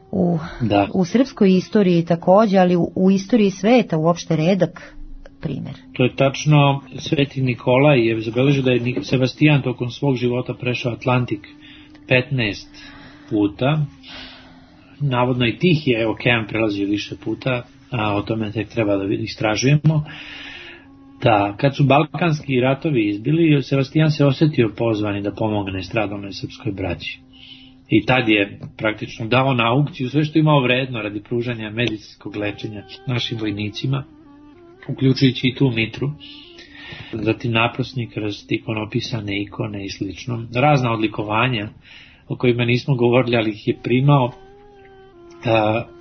u srpskoj istoriji takođe, ali u istoriji sveta uopšte redak primjer. To je tačno. Sveti Nikolaj je zabeležio da je Sevastijan tokom svog života prešao Atlantik 15 puta. Navodno i Tihije okean prelazio više puta, a o tome tek treba da istražujemo. da kad su balkanski ratovi izbili, Sebastijan se osjetio pozvani da pomogne stradalnoj srpskoj braći. I tad je praktično dao na aukciju sve što imao vredno radi pružanja medicinskog lečenja našim vojnicima, uključujući i tu mitru, zatim naprosnik, ikonopisane ikone i slično. Razna odlikovanja o kojima nismo govorili, ali ih je primao.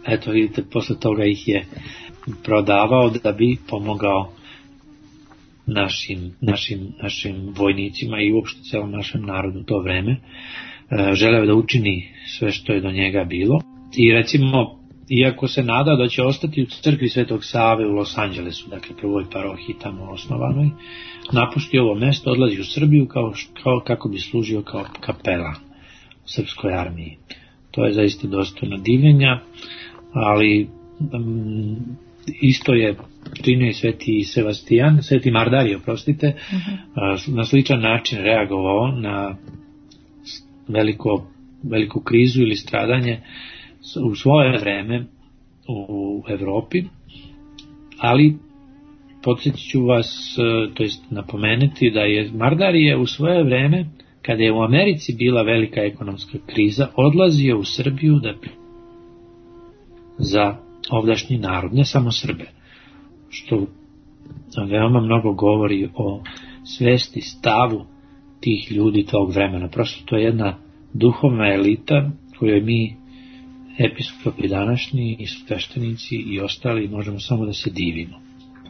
Eto vidite, posle toga ih je prodavao da bi pomogao našim vojnicima i uopšte celom našem narodu u to vreme. Želeo da učini sve što je do njega bilo. I recimo, iako se nadao da će ostati u crkvi Svetog Save u Los Angelesu, dakle prvoj parohiji tamo osnovanoj, napusti ovo mesto, odlazi u Srbiju kako bi služio kao kapela u srpskoj armiji. To je zaista dostojno divljenja, ali isto je činio i Sveti Mardarije, na sličan način reagovao na veliku krizu ili stradanje u svoje vreme u Evropi, ali podsjetit ću vas, to jest napomenuti da je Mardarije u svoje vreme, kada je u Americi bila velika ekonomska kriza, odlazio u Srbiju za ovdašnji narod, ne samo Srbe, što veoma mnogo govori o svesti, stavu tih ljudi tog vremena. Prosto to je jedna duhovna elita kojoj mi, episkopi današnji i sveštenici i ostali, možemo samo da se divimo.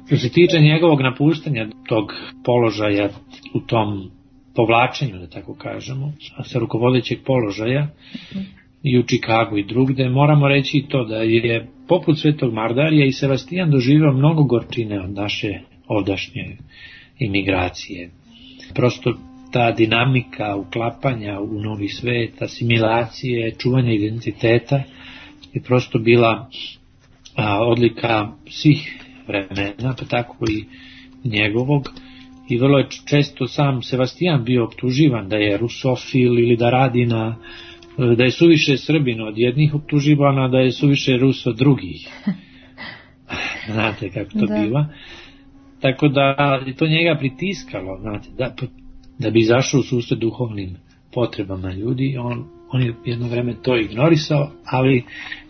Što se tiče njegovog napuštanja tog položaja u tom povlačenju, da tako kažemo, sa rukovodećeg položaja i u Čikagu i drugde, moramo reći i to da je poput Svetog Mardarija i Sebastijan doživio mnogo gorčine od naše ovdašnje imigracije. Prosto ta dinamika uklapanja u novi svet, asimilacije, čuvanja identiteta je prosto bila odlika svih vremena, pa tako i njegovog. I vrlo je često sam Sebastijan bio optuživan da je rusofil ili da radi da je suviše Srbin od jednih optuživana, da je suviše Rus od drugih. Znate kako to biva. Tako da je to njega pritiskalo, znate, da bi izašao u susret duhovnim potrebama ljudi. On je jedno vreme to ignorisao, ali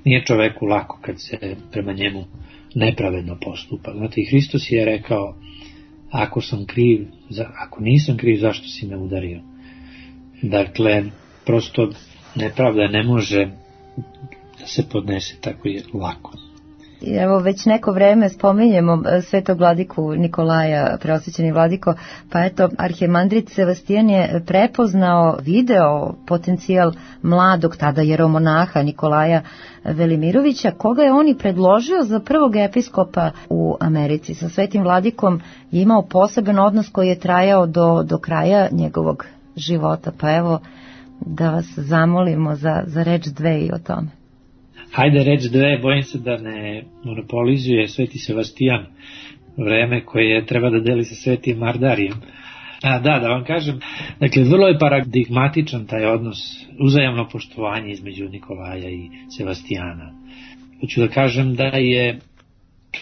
nije čoveku lako kad se prema njemu nepravedno postupa. Znate, i Hristos je rekao, ako nisam kriv, zašto si me udario? Dakle, prosto nepravda ne može da se podnese tako je lako. Evo, već neko vreme spominjemo svetog vladiku Nikolaja, preosvećeni vladiko, pa eto, arhimandrit Sebastijan je prepoznao, video potencijal mladog, tada jeromonaha Nikolaja Velimirovića, koga je on i predložio za prvog episkopa u Americi. Sa svetim vladikom je imao poseban odnos koji je trajao do kraja njegovog života, pa evo da vas zamolimo za reč dve i o tome. Hajde reč dve, bojim se da ne monopolizuje Sveti Sebastijan vreme koje treba da deli sa Svetim Mardarijem. Da vam kažem, dakle, vrlo je paradigmatičan taj odnos, uzajamno poštovanje između Nikolaja i Sebastijana. Hoću da kažem da je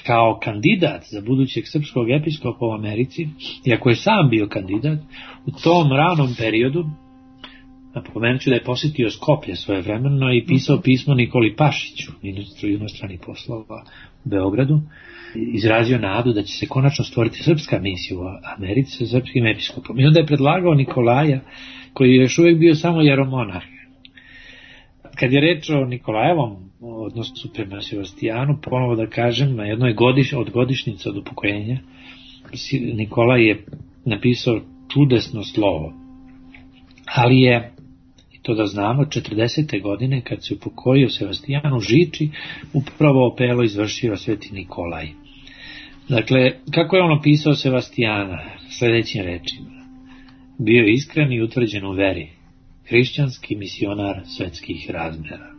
kao kandidat za budućeg srpskog episkopa u Americi, iako je sam bio kandidat, u tom ranom periodu, napomenut ću da je posjetio Skoplje svojevremeno i pisao pismo Nikoli Pašiću, ministru inostranih poslova u Beogradu, izrazio nadu da će se konačno stvoriti srpska misija u Americi sa srpskim episkopom. I onda je predlagao Nikolaja, koji je još uvijek bio samo jeromonah. Kad je reč o Nikolajevom odnosu prema Sebastijanu, ponovo da kažem, na jednoj od godišnjica od upokojenja, Nikolaj je napisao čudesno slovo, ali je, i to da znamo, 40. godine kad se upokojio Sebastijan u Žiči, upravo opelo izvršio Sveti Nikolaj. Dakle, kako je on opisao Sebastijana? Sljedećim rečima: bio je iskren i utvrđen u veri, hrišćanski misionar svetskih razmjera.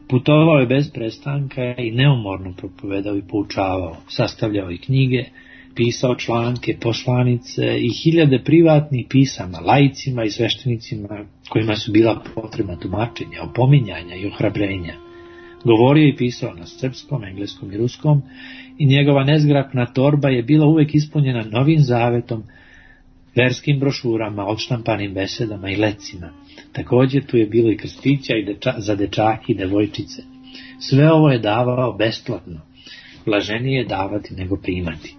Putovao je bez prestanka i neumorno propovedao i poučavao, sastavljao i knjige, pisao članke, poslanice i hiljade privatnih pisama laicima i sveštenicima kojima su bila potrebna tumačenja, opominjanja i ohrabrenja. Govorio i pisao na srpskom, engleskom i ruskom i njegova nezgrapna torba je bila uvek ispunjena Novim Zavetom, verskim brošurama, odštampanim besedama i lecima. Također tu je bilo i krstića za dečake i devojčice. Sve ovo je davao besplatno. Blaženije je davati nego primati.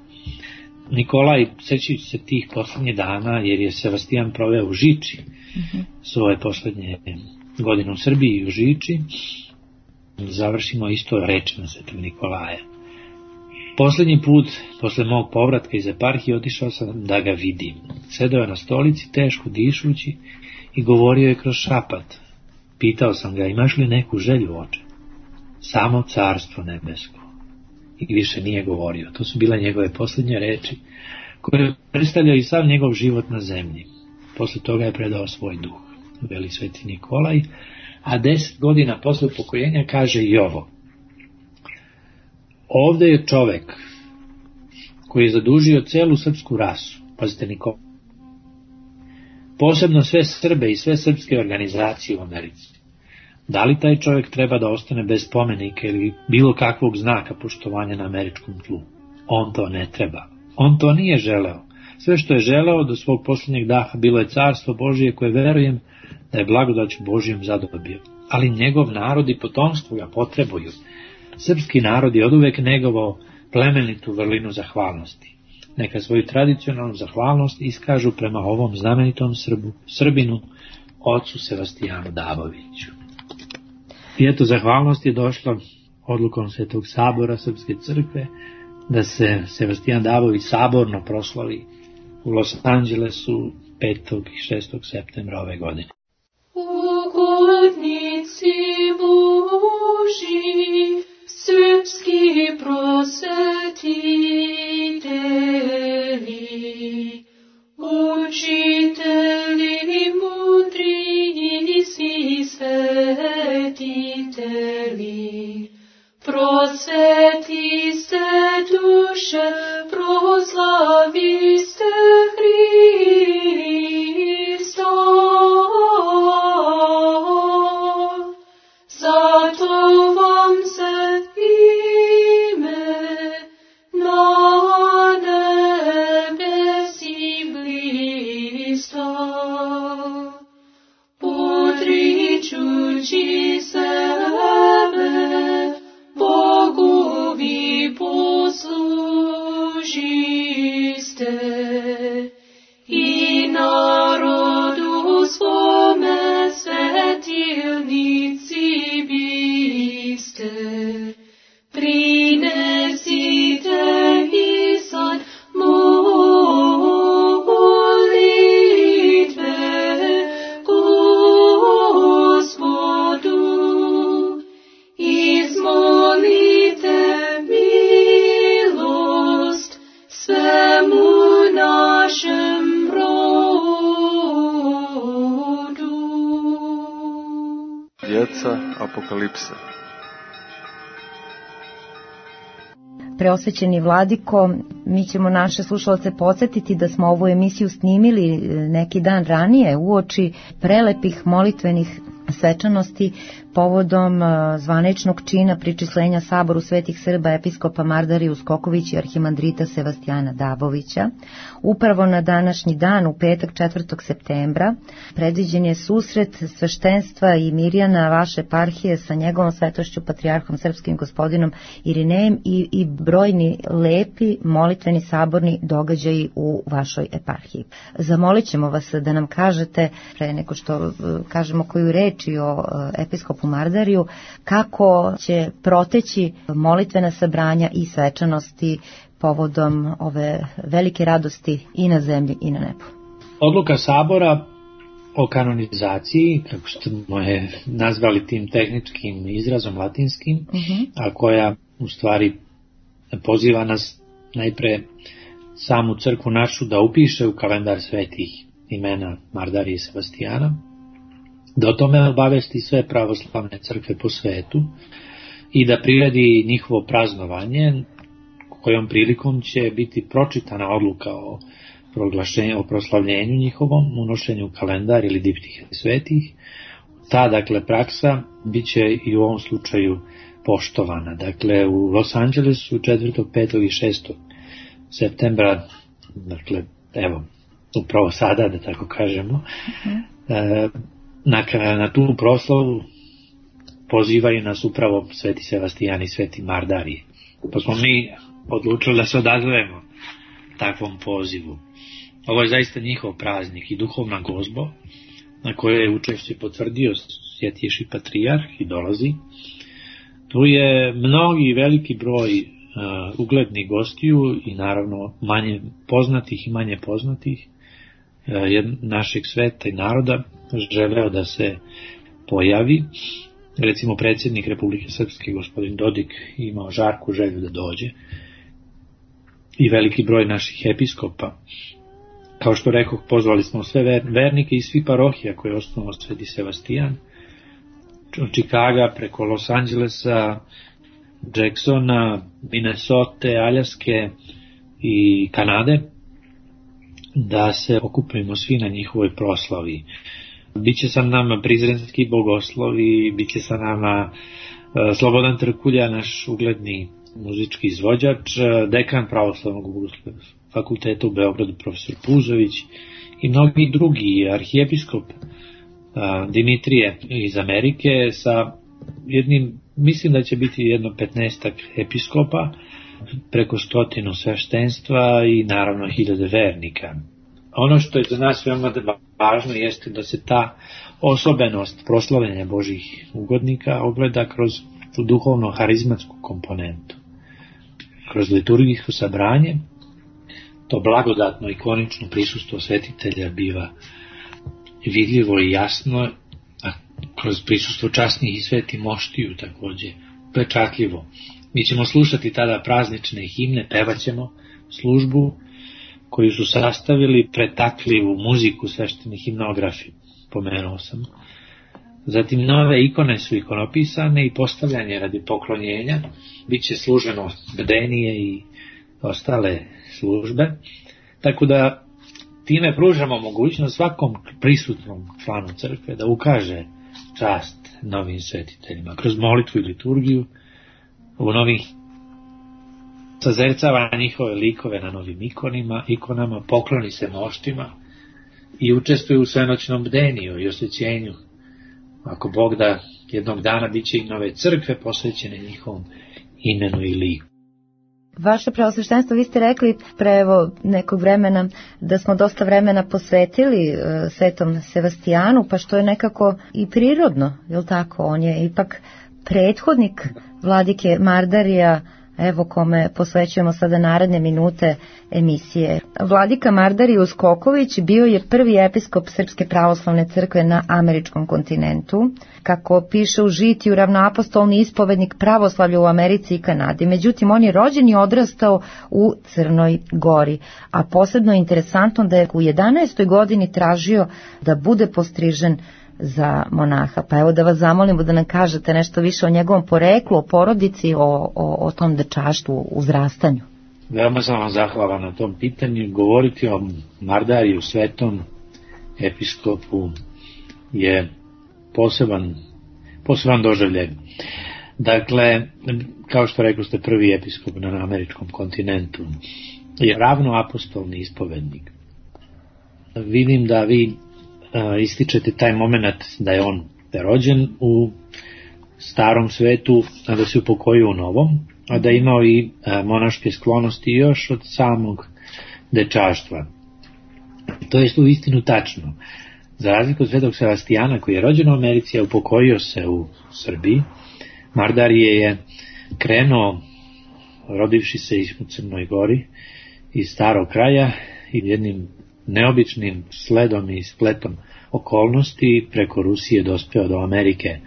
Nikolaj, sećajući se tih poslednjih dana, jer je Sebastijan proveo u Žiči svoje poslednje godine u Srbiji i u Žiči, završimo isto rečima Svetog Nikolaja. Poslednji put, posle mog povratka iz eparhije, otišao sam da ga vidim. Sedeo je na stolici, teško dišući, i govorio je kroz šapat. Pitao sam ga, imaš li neku želju, oče? Samo carstvo nebesko. I više nije govorio. To su bile njegove posljednje reči, koje predstavljaju i sav njegov život na zemlji. Posle toga je predao svoj duh, veli Sveti Nikolaj, a 10 godina posle upokojenja kaže i ovo. Ovde je čovek koji je zadužio celu srpsku rasu, pazite Nikolaj, posebno sve Srbe i sve srpske organizacije u Americi. Da li taj čovjek treba da ostane bez spomenika ili bilo kakvog znaka poštovanja na američkom tlu? On to ne treba. On to nije želeo. Sve što je želeo do svog posljednjeg daha bilo je carstvo Božije koje verujem da je blagodaću Božijom zadobio. Ali njegov narod i potomstvo ga potrebuju. Srpski narod je oduvek negovao plemenitu vrlinu zahvalnosti. Neka svoju tradicionalnu zahvalnost iskažu prema ovom znamenitom Srbinu, ocu Sebastijanu Daboviću. I eto, zahvalnost je došla odlukom Svetog sabora Srpske crkve da se Sebastijan Dabović saborno proslavi u Los Angelesu 5. i 6. septembra ove godine. Ugodnici Boži, srpski prosvetitelji, učitelji mudri i svetitelji, prosveti se duše, proslavi se Hrista. Zato vam se ime na nebesi blista, odričući sebe, Bogu vi poslužiste i narodu svome svetilnici biste. Prinesite i sad molitve Gospodu, izmolite milost svemu našem rodu. Djeca Apokalipse. Preosvećeni vladiko, mi ćemo naše slušalce podsjetiti da smo ovu emisiju snimili neki dan ranije uoči prelepih molitvenih svečanosti povodom zvaničnog čina pričislenja Saboru svetih Srba episkopa Mardariju Skoković i arhimandrita Sebastijana Dabovića. Upravo na današnji dan, u petak 4. septembra, predviđen je susret sveštenstva i mirjana vaše eparhije sa njegovom svetošću patrijarhom srpskim gospodinom Irinejem i brojni lepi molitveni saborni događaji u vašoj eparhiji. Zamolit ćemo vas da nam kažete, pre nego što kažemo koju reči o episkopu Mardariju, kako će proteći molitvena sabranja i svečanosti povodom ove velike radosti i na zemlji i na nebu. Odluka sabora o kanonizaciji, kako smo je nazvali tim tehničkim izrazom latinskim, a koja u stvari poziva nas najpre samu crkvu našu da upiše u kalendar svetih imena Mardarije i Sebastijana, da o tome obavesti sve pravoslavne crkve po svetu i da priredi njihovo praznovanje, kojom prilikom će biti pročitana odluka o proslavljenju njihovom, unošenju u kalendar ili diptihe svetih. Ta, dakle, praksa bit će i u ovom slučaju poštovana. Dakle, u Los Angelesu 4., 5. i 6. septembra, dakle, evo, upravo sada, da tako kažemo, na tu proslavu pozivaju nas upravo Sveti Sebastijan i Sveti Mardarije. Pa smo mi odlučili da se odazovemo takvom pozivu. Ovo je zaista njihov praznik i duhovna gozbo, na kojoj je učešće potvrdio Svjetjejši patrijarh i dolazi. Tu je mnogi veliki broj uglednih gostiju i naravno manje poznatih i manje poznatih našeg sveta i naroda želeo da se pojavi. Recimo predsjednik Republike Srpske, gospodin Dodik, imao žarku želju da dođe i veliki broj naših episkopa. Kao što rekoh, pozvali smo sve vernike iz svih parohija koje je osnovao Sveti Sebastijan, od Čikaga preko Los Angelesa, Jacksona, Minnesota, Aljaske i Kanade, da se okupimo svi na njihovoj proslavi. Biće sa nama prizrenski bogoslovi, biće sa nama Slobodan Trkulja, naš ugledni muzički izvođač, dekan Pravoslavnog fakulteta u Beogradu profesor Puzović i mnogi drugi, arhijepiskop Dimitrije iz Amerike sa jednim, mislim da će biti jedno 15 episkopa, preko 100 sveštenstva i naravno 1000 vernika. Ono što je za nas veoma važno jeste da se ta osobenost proslavljanja Božih ugodnika ogleda kroz tu duhovno-harizmatsku komponentu. Kroz liturgijsko sabranje, to blagodatno ikonično prisustvo svetitelja biva vidljivo i jasno, a kroz prisustvo časnih i sveti moštiju također pečatljivo. Mi ćemo slušati tada praznične himne, pevaćemo službu koju su sastavili, pretakli u muziku svešteni himnografi, pomenuo sam. Zatim nove ikone su ikonopisane i postavljanje radi poklonjenja, bit će služeno bdenije i ostale službe, tako da time pružamo mogućnost svakom prisutnom članu crkve da ukaže čast novim svetiteljima kroz molitvu i liturgiju. U novih sazercava njihove likove na novim ikonama, pokloni se moštima i učestvuje u svenoćnom bdeniju i osvećenju. Ako Bog da, jednog dana bit će i nove crkve posvećene njihovom imenu i liku. Vaše preosveštenstvo, vi ste rekli pre nekog vremena da smo dosta vremena posvetili Svetom Sevastijanu, pa što je nekako i prirodno, je li tako? On je ipak prethodnik vladike Mardarija, evo kome posvećujemo sada naredne minute emisije. Vladika Mardarije Skoković bio je prvi episkop Srpske pravoslavne crkve na američkom kontinentu. Kako piše u žitiju, ravnoapostolni ispovednik pravoslavlja u Americi i Kanadi. Međutim, on je rođen i odrastao u Crnoj Gori. A posebno je interesantno da je u 11. godini tražio da bude postrižen za monaha. Pa evo da vas zamolimo da nam kažete nešto više o njegovom poreklu, o porodici, o tom dečaštvu, uzrastanju. Veoma sam vam zahvalan na tom pitanju. Govoriti o Mardariju, svetom episkopu, je poseban doživljaj. Dakle, kao što rekli ste, prvi episkop na američkom kontinentu je ravnoapostolni ispovednik. Vidim da vi ističete taj moment da je on rođen u starom svetu, a da se upokojio u novom, a da je imao i monaške sklonosti još od samog dečaštva. To je u istinu tačno. Za razliku od Svetog Sevastijana, koji je rođen u Americi, a upokojio se u Srbiji, Mardarije je krenuo, rodivši se u Crnoj Gori, iz starog kraja i jednim neobičnim sledom i spletom okolnosti preko Rusije dospeo do Amerike.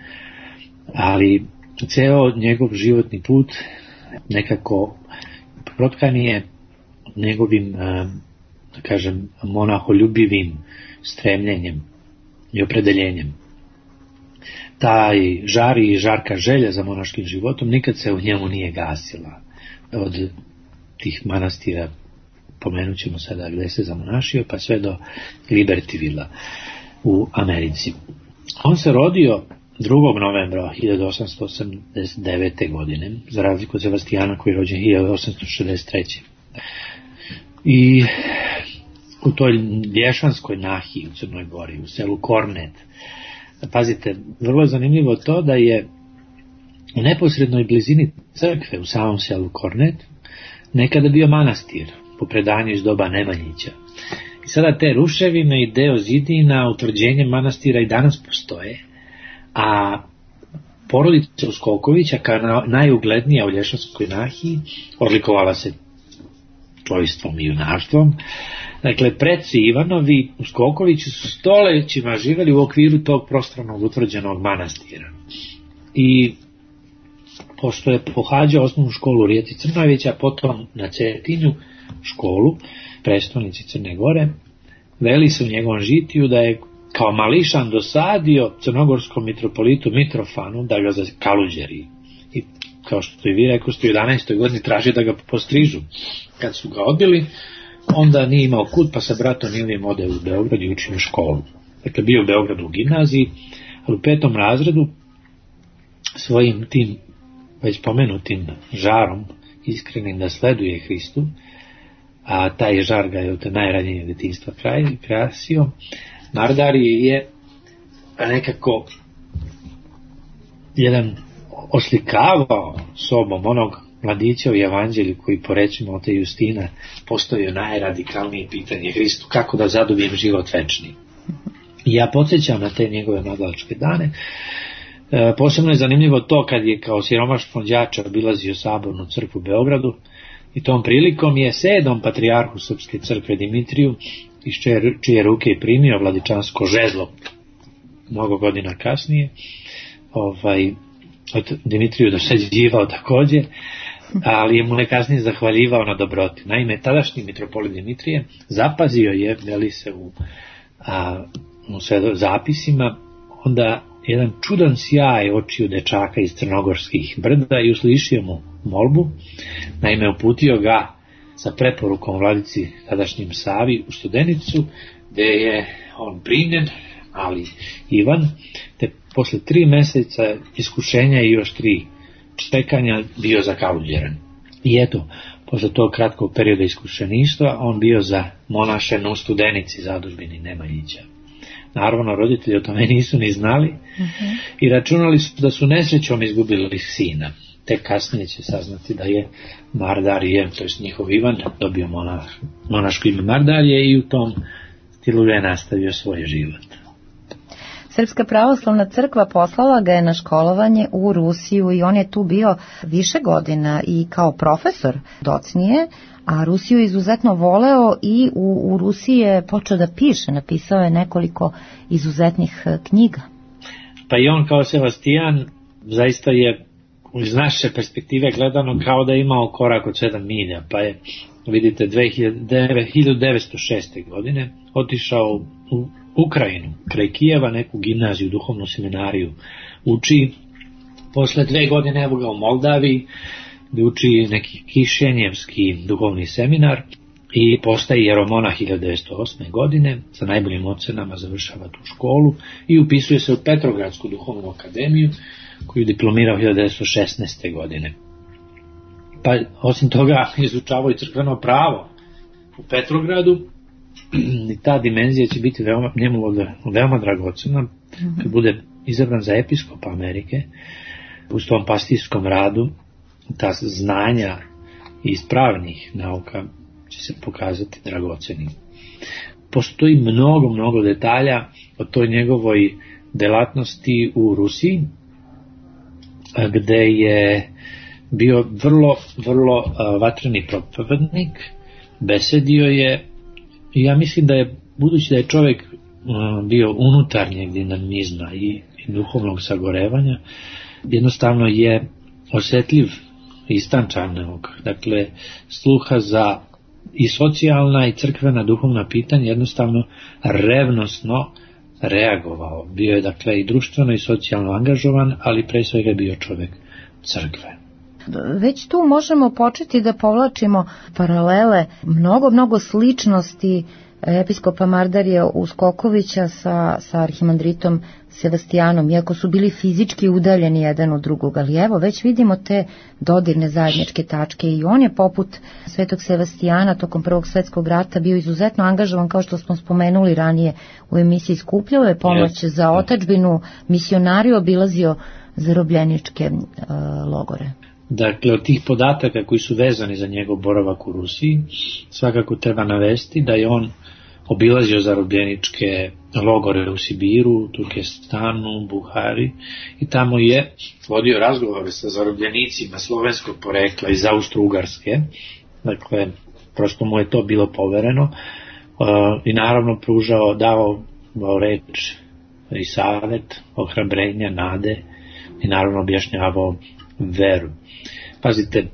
Ali ceo njegov životni put nekako protkan je njegovim, da kažem, monaholjubivim stremljenjem i opredeljenjem. Taj žar i žarka želja za monaškim životom nikad se u njemu nije gasila. Od tih manastira, pomenut ćemo sada gde se zamonašio, pa sve do Libertyvilla u Americi. On se rodio 2. novembra 1889. godine, za razliku od Sebastijana koji je rođen 1863. I u toj Lješanskoj nahiji u Crnoj Gori, u selu Kornet, pazite, vrlo je zanimljivo to da je u neposrednoj blizini crkve u samom selu Kornet nekada bio manastir, po predanju iz doba Nemanjića. I sada te ruševine i deo zidina, utvrđenje manastira i danas postoje, a porodica Uskokovića, kao najuglednija u Lješanskoj nahiji, odlikovala se čojstvom i junaštvom. Dakle, preci Ivanovi Uskokovići su stolećima živeli u okviru tog prostornog utvrđenog manastira. I pošto je pohađao osnovnu školu u Rijeci Crnojevića, potom na Cetinju školu, prestolnici Crne Gore, veli se u njegovom žitiju da je kao mališan dosadio crnogorskom mitropolitu Mitrofanu da ga zakaluđeri. I kao što i vi rekoste, u 11. godini traži da ga postrižu. Kad su ga odbili, onda nije imao kud, pa sa bratom Ilijem ode u Beograd i učio školu. Dakle, bio u Beogradu u gimnaziji, ali u 5. razredu svojim tim već pomenutim žarom, iskrenim da sleduje Hristu, a taj žar ga je od najranjenije detinjstva krasio, Mardari je nekako jedan oslikavao sobom onog mladića u evanđelju koji, po rečima od Justina, postavio najradikalnije pitanje Hristu, kako da zadobijem život večni. I ja podsjećam na te njegove mladalačke dane. Posebno je zanimljivo to kad je kao siromašan đača obilazio sabornu crkvu u Beogradu i tom prilikom je 7. patrijarhu Srpske crkve Dimitriju, iz čije ruke je primio vladičansko žezlo mnogo godina kasnije, od Dimitriju dosađivao također, ali je mu nekasnije zahvaljivao na dobroti. Naime, tadašnji mitropolit Dimitrije zapazio je, veli se u zapisima, onda jedan čudan sjaj očiju dečaka iz crnogorskih brda i uslišio mu molbu. Naime, uputio ga sa preporukom vladici tadašnjim Savi u Studenicu, gde je on primljen, ali Ivan, te posle 3 meseca iskušenja i još 3 čekanja bio zakaluđeren. I eto, posle tog kratkog perioda iskušeništva, on bio za monašen u Studenici, zadužbini Nemanjića. Naravno, roditelji o tome nisu ni znali i računali su da su nesrećom izgubili sina. Tek kasnije će saznati da je Mardarije, to je njihov Ivan, dobio monaško ime Mardarije i u tom stilu je nastavio svoj život. Srpska pravoslavna crkva poslala ga je na školovanje u Rusiju i on je tu bio više godina i kao profesor docnije, a Rusiju izuzetno voleo i u Rusiji je počeo da piše, napisao je nekoliko izuzetnih knjiga. Pa i on kao Sebastijan zaista je iz naše perspektive gledano kao da je imao korak od 7 milja, pa je, vidite, 1906. godine otišao u Ukrajinu, kraj Kijeva, neku gimnaziju, duhovnu seminariju uči. Posle 2 godine evo ga u Moldaviji, gde uči neki kišenjevski duhovni seminar i postaje jeromonah 1908. godine, sa najboljim ocenama završava tu školu i upisuje se u Petrogradsku duhovnu akademiju, koju diplomirao 1916. godine. Pa osim toga izučavao i crkveno pravo u Petrogradu i ta dimenzija će biti njemu veoma dragocena kad bude izabran za episkopa Amerike. U tom pastirskom radu ta znanja iz pravnih nauka će se pokazati dragocenim. Postoji mnogo detalja o toj njegovoj delatnosti u Rusiji, gde je bio vrlo vatreni propovednik, besedio je, i ja mislim da je, budući da je čovjek bio unutarnjeg dinamizma i duhovnog sagorevanja, jednostavno je osjetljiv i istančanog, dakle sluha za i socijalna i crkvena duhovna pitanja, jednostavno revnosno reagovao. Bio je dakle i društveno i socijalno angažovan, ali pre svega bio čovjek crkve. Već tu možemo početi da povlačimo paralele, mnogo sličnosti episkopa Mardarija Uskokovića sa arhimandritom Sebastijanom, iako su bili fizički udaljeni jedan od drugog, ali evo već vidimo te dodirne zajedničke tačke i on je poput svetog Sebastijana tokom Prvog svetskog rata bio izuzetno angažovan, kao što smo spomenuli ranije u emisiji, skupljao je pomoć za otadžbinu, misionario, obilazio zarobljeničke logore. Dakle, od tih podataka koji su vezani za njegov boravak u Rusiji, svakako treba navesti da je on obilazio zarobljeničke logore u Sibiru, Turkestanu, Buhari i tamo je vodio razgovore sa zarobljenicima slovenskog porekla iz Austro-Ugarske. Dakle, prosto mu je to bilo povereno i naravno davao reč i savet, ohrabrenja, nade i naravno objašnjavao veru. Pazite,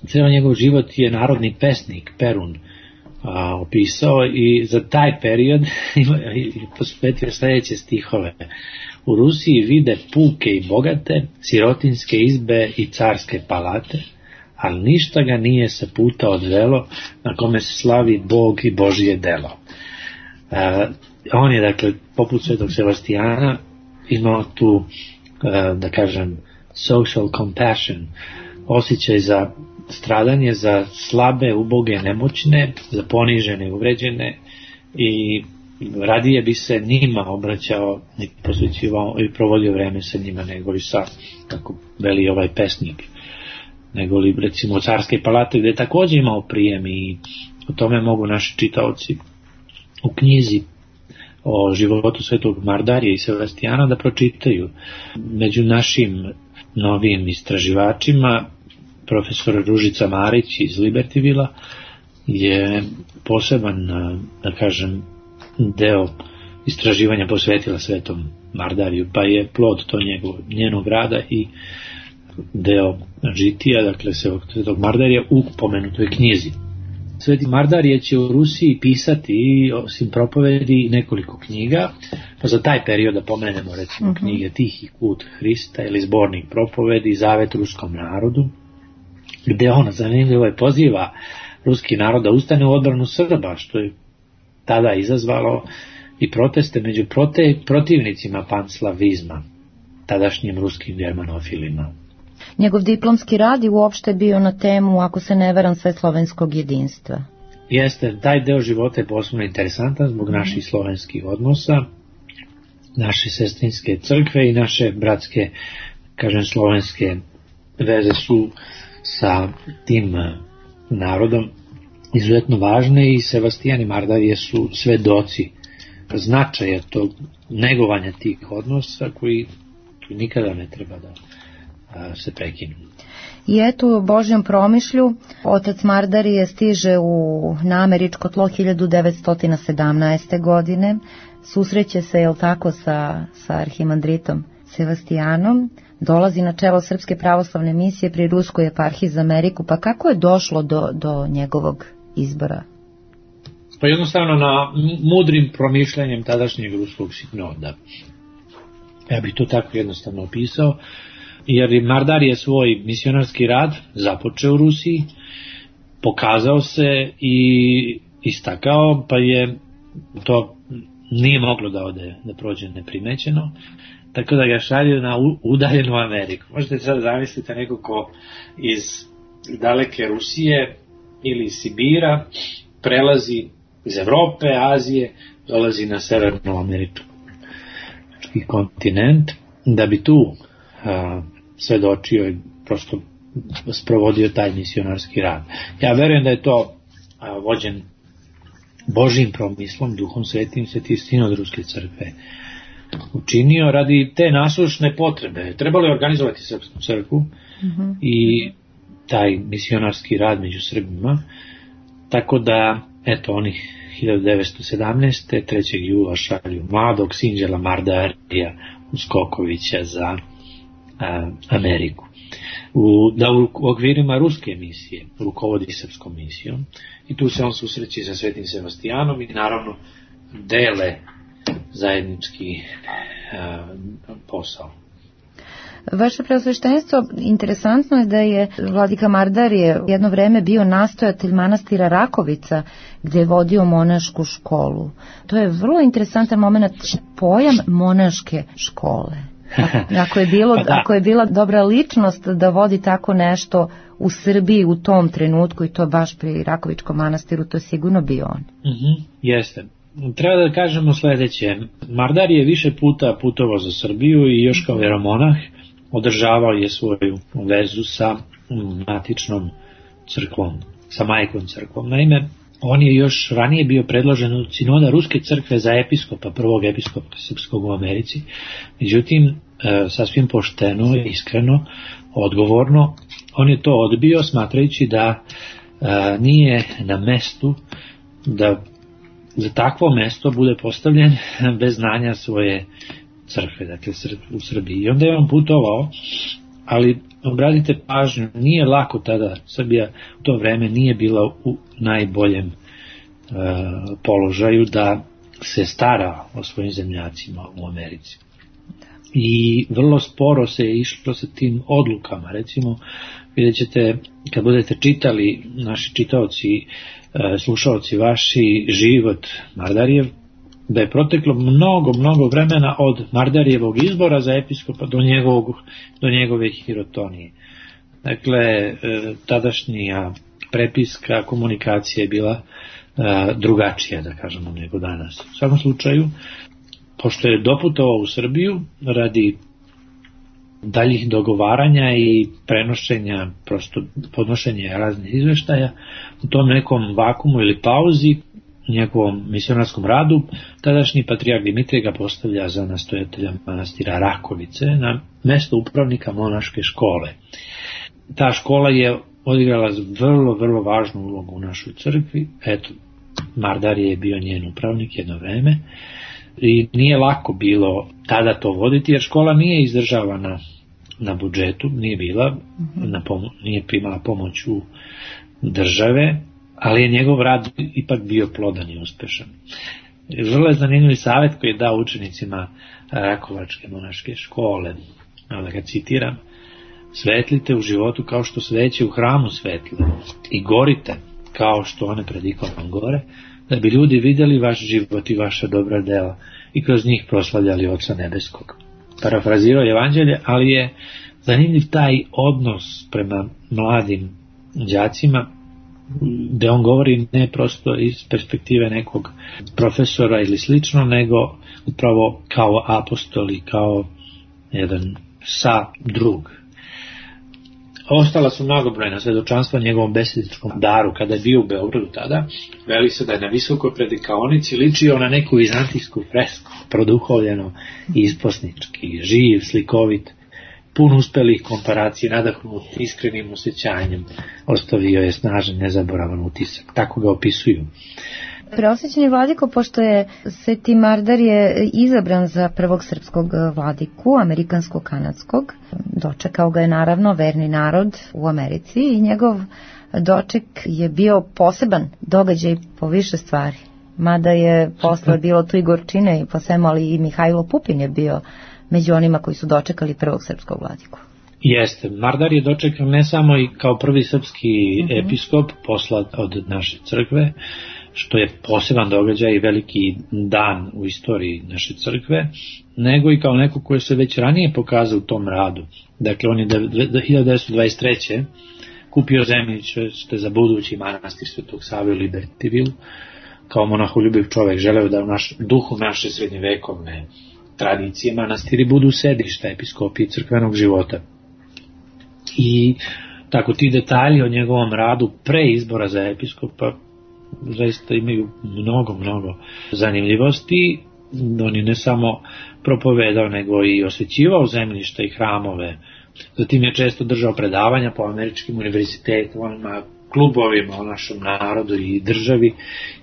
cijel njegov život je narodni pesnik Perun opisao i za taj period posvetio sljedeće stihove. U Rusiji vide puke i bogate, sirotinske izbe i carske palate, ali ništa ga nije sa puta odvelo na kome se slavi Bog i Božije delo. On je, dakle, poput svetog Sebastijana imao tu, da kažem, social compassion, osjećaj za stradanje, za slabe, uboge, nemoćne, za ponižene, uvređene i radije bi se njima obraćao i posvećivao i provodio vreme sa njima nego li sa, kako veli ovaj pesnik, nego li recimo carske palate gdje je također imao prijem i o tome mogu naši čitaoci u knjizi o životu svetog Mardarija i Sebastijana da pročitaju. Među našim novim istraživačima profesor Ružica Marić iz Libertyvilla je poseban, da kažem, deo istraživanja posvetila svetom Mardariju, pa je plod to njenog rada i deo žitija, dakle svetog Mardarija u pomenutoj knjizi. Sveti Mardarije će u Rusiji pisati, osim propovedi, nekoliko knjiga, pa za taj period da pomenemo recimo knjige Tihi put Hrista ili zbornik propovedi, Zavet ruskom narodu, gde on zanimljivo je poziva ruski narod da ustane u odbranu Srba, što je tada izazvalo i proteste među protivnicima panslavizma, tadašnjim ruskim germanofilima. Njegov diplomski rad je uopšte bio na temu, ako se ne varam, sveslovenskog jedinstva. Jeste, taj deo života je posebno interesantan zbog naših slovenskih odnosa, naše sestrinske crkve i naše bratske, kažem, slovenske veze su sa tim narodom izuzetno važne i Sebastijan i Mardarije su svedoci značaja tog negovanja tih odnosa koji nikada ne treba da se prekinu. I eto, u Božjem promišlju otac Mardarije stiže na američko tlo 1917. godine, susreće se, jel tako, sa arhimandritom Sebastijanom, dolazi na čelo Srpske pravoslavne misije pri Ruskoj eparhiji za Ameriku, pa kako je došlo do njegovog izbora? Pa jednostavno na mudrim promišljanjem tadašnjeg ruskog sinoda. Ja bih to tako jednostavno opisao, jer Mardar je svoj misionarski rad započeo u Rusiji, pokazao se i istakao, pa je to nije moglo da prođe neprimećeno, tako da ga šalju na udaljenu Ameriku. Možete sad zamisliti neko ko iz daleke Rusije ili iz Sibira prelazi iz Evrope, Azije, dolazi na severnoamerički kontinent, da bi tu svedočio i prosto sprovodio taj misionarski rad. Ja verujem da je to vođen Božjim promislom, Duhom Svetim, Sveti Sinod Ruske crkve učinio radi te nasušne potrebe. Trebalo je organizovati srpsku crkvu i taj misionarski rad među Srbima, tako da, eto, onih 1917. 3. jula šalju mladog Sinđela Mardarija Uskokovića za Ameriku. Da u okvirima ruske misije rukovodi srpskom misijom i tu se on susreće sa Svetim Sebastijanom i naravno dele zajednički posao. Vaše preosveštenstvo, interesantno je da je vladika Mardarije jedno vreme bio nastojatelj manastira Rakovica, gdje je vodio monašku školu. To je vrlo interesantan moment, pojam monaške škole. Ako je bila dobra ličnost da vodi tako nešto u Srbiji u tom trenutku, i to baš pri Rakovičkom manastiru, to je sigurno bio on. Jeste. Treba da kažemo sledeće. Mardar je više puta putovao za Srbiju i još kao veromonah održavao je svoju vezu sa matičnom crkvom, sa majkom crkvom. Naime, on je još ranije bio predložen od sinoda Ruske crkve za episkopa, prvog episkopa srpskog u Americi. Međutim, sasvim pošteno, iskreno, odgovorno, on je to odbio smatrajući da nije na mestu da za takvo mesto bude postavljen bez znanja svoje crkve, dakle u Srbiji. I onda je on putovao, ali obratite pažnju, nije lako tada, Srbija u to vreme nije bila u najboljem položaju da se stara o svojim zemljacima u Americi. I vrlo sporo se je išlo sa tim odlukama. Recimo, vidjet ćete, kad budete čitali, naši čitaoci, slušaoci vaši, život Mardarijev, da je proteklo mnogo vremena od Mardarijevog izbora za episkopa do njegove hirotonije. Dakle, tadašnja prepiska, komunikacija je bila drugačija, da kažemo, nego danas. U svakom slučaju, pošto je doputovao u Srbiju radi daljih dogovaranja i prenošenja, prosto podnošenja raznih izveštaja, u tom nekom vakumu ili pauzi, njegovom misionarskom radu, tadašnji patrijarh Dimitrije ga postavlja za nastojatelja manastira Rakovice na mesto upravnika monaške škole. Ta škola je odigrala vrlo važnu ulogu u našoj crkvi. Eto, Mardarije je bio njen upravnik jedno vreme i nije lako bilo tada to voditi, jer škola nije izdržavana na budžetu, nije bila, nije primala pomoć u države, ali je njegov rad ipak bio plodan i uspešan. Vrlo je zanimljiv savjet koji je dao učenicima Rakovačke monaške škole, da ga citiram: svetlite u životu kao što sveće u hramu svetle i gorite kao što one pred ikonom gore, da bi ljudi vidjeli vaš život i vaša dobra dela i kroz njih proslavljali Oca nebeskog. Parafrazirao je evanđelje, ali je zanimljiv taj odnos prema mladim đacima, gde on govori ne prosto iz perspektive nekog profesora ili slično, nego upravo kao apostol i kao jedan drug. Ostala su mnogobrojna svedočanstva njegovom besedičkom daru. Kada je bio u Beogradu tada, veli se da je na visokoj predikaonici ličio na neku vizantijsku fresku, produhovljeno i isposnički, živ, slikovit, pun uspelih komparacija, nadahnut iskrenim osjećanjem, ostavio je snažan, nezaboravan utisak. Tako ga opisuju. Preosvećeni vladiko, pošto je Sveti Mardarije izabran za prvog srpskog vladiku, amerikansko-kanadskog, dočekao ga je naravno verni narod u Americi i njegov doček je bio poseban događaj po više stvari. Mada je posle bilo tu i gorčine i po svemu, ali i Mihajlo Pupin je bio među onima koji su dočekali prvog srpskog vladiku. Jeste, Mardar je dočekan ne samo i kao prvi srpski episkop poslat od naše crkve, što je poseban događaj i veliki dan u istoriji naše crkve, nego i kao neko koji se već ranije pokazao u tom radu. Dakle, on je 1923. kupio zemljište za budući manastir Svetog Save u Libertyville. Kao monaholjubiv čovek želeo da u duhu naše srednjevekovne tradicije manastiri budu sedišta episkopije crkvenog života. I tako ti detalji o njegovom radu pre izbora za episkopa zaista imaju mnogo zanimljivosti. On je ne samo propovedao, nego i osvećivao zemljišta i hramove. Zatim je često držao predavanja po američkim univerzitetima, klubovima o našem narodu i državi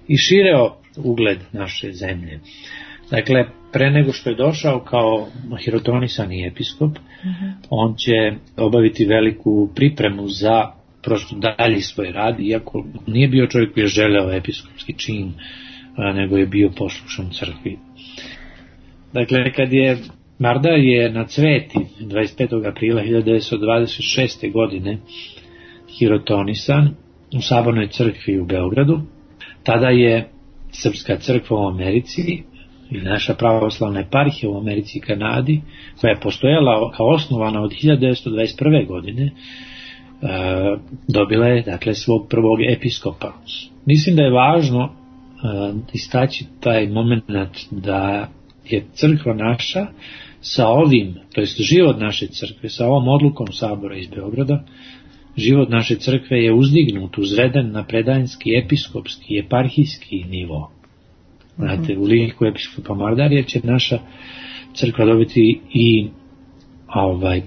i šireo ugled naše zemlje. Dakle, pre nego što je došao kao hirotonisani episkop, on će obaviti veliku pripremu za prosto dalji svoj rad, iako nije bio čovjek koji je želeo episkopski čin, nego je bio poslušan crkvi. Dakle, kad je Mardar je na Cveti 25. aprila 1926. godine hirotonisan u Sabornoj crkvi u Beogradu. Tada je Srpska crkva u Americi ili naša pravoslavna eparhija u Americi i Kanadi, koja je postojala kao osnovana od 1921. godine, dobila je dakle svog prvog episkopa. Mislim da je važno istaći taj moment da je crkva naša sa ovim, to jest život naše crkve, sa ovom odlukom Sabora iz Beograda, život naše crkve je uzdignut, uzveden na predanjski, episkopski, eparhijski nivo. Znate, u liku episkopa Mardarija će naša crkva dobiti i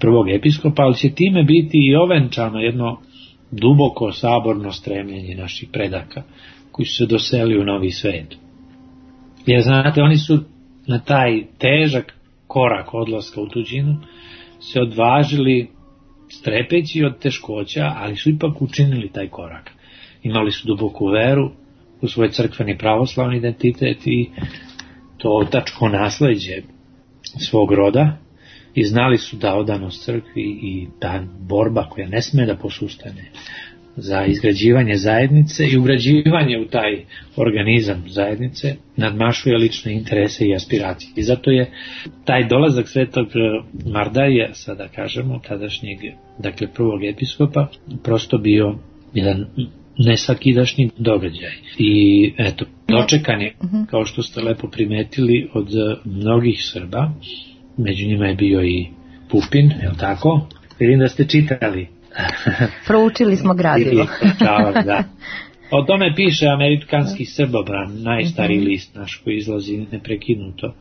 prvog episkopa, ali će time biti i ovenčano jedno duboko saborno stremljenje naših predaka koji su se doseli u novi svet. Jer znate, oni su na taj težak korak odlaska u tuđinu se odvažili strepeći od teškoća, ali su ipak učinili taj korak. Imali su duboku veru u svoj crkveni pravoslavni identitet i to otačko nasleđe svog roda i znali su da odanost crkvi i ta borba koja ne sme da posustane za izgrađivanje zajednice i ugrađivanje u taj organizam zajednice nadmašuje lične interese i aspiracije. I zato je taj dolazak svetog Mardarija, sada kažemo, tadašnjeg, dakle prvog episkopa, prosto bio jedan nesvakidašnji događaj. I eto, dočekan je, kao što ste lepo primetili, od mnogih Srba, među njima je bio i Pupin, je li tako? Vidim da ste čitali. Proučili smo gradivo. Da. O tome piše Amerikanski Srbobran, najstariji list naš koji izlazi neprekinuto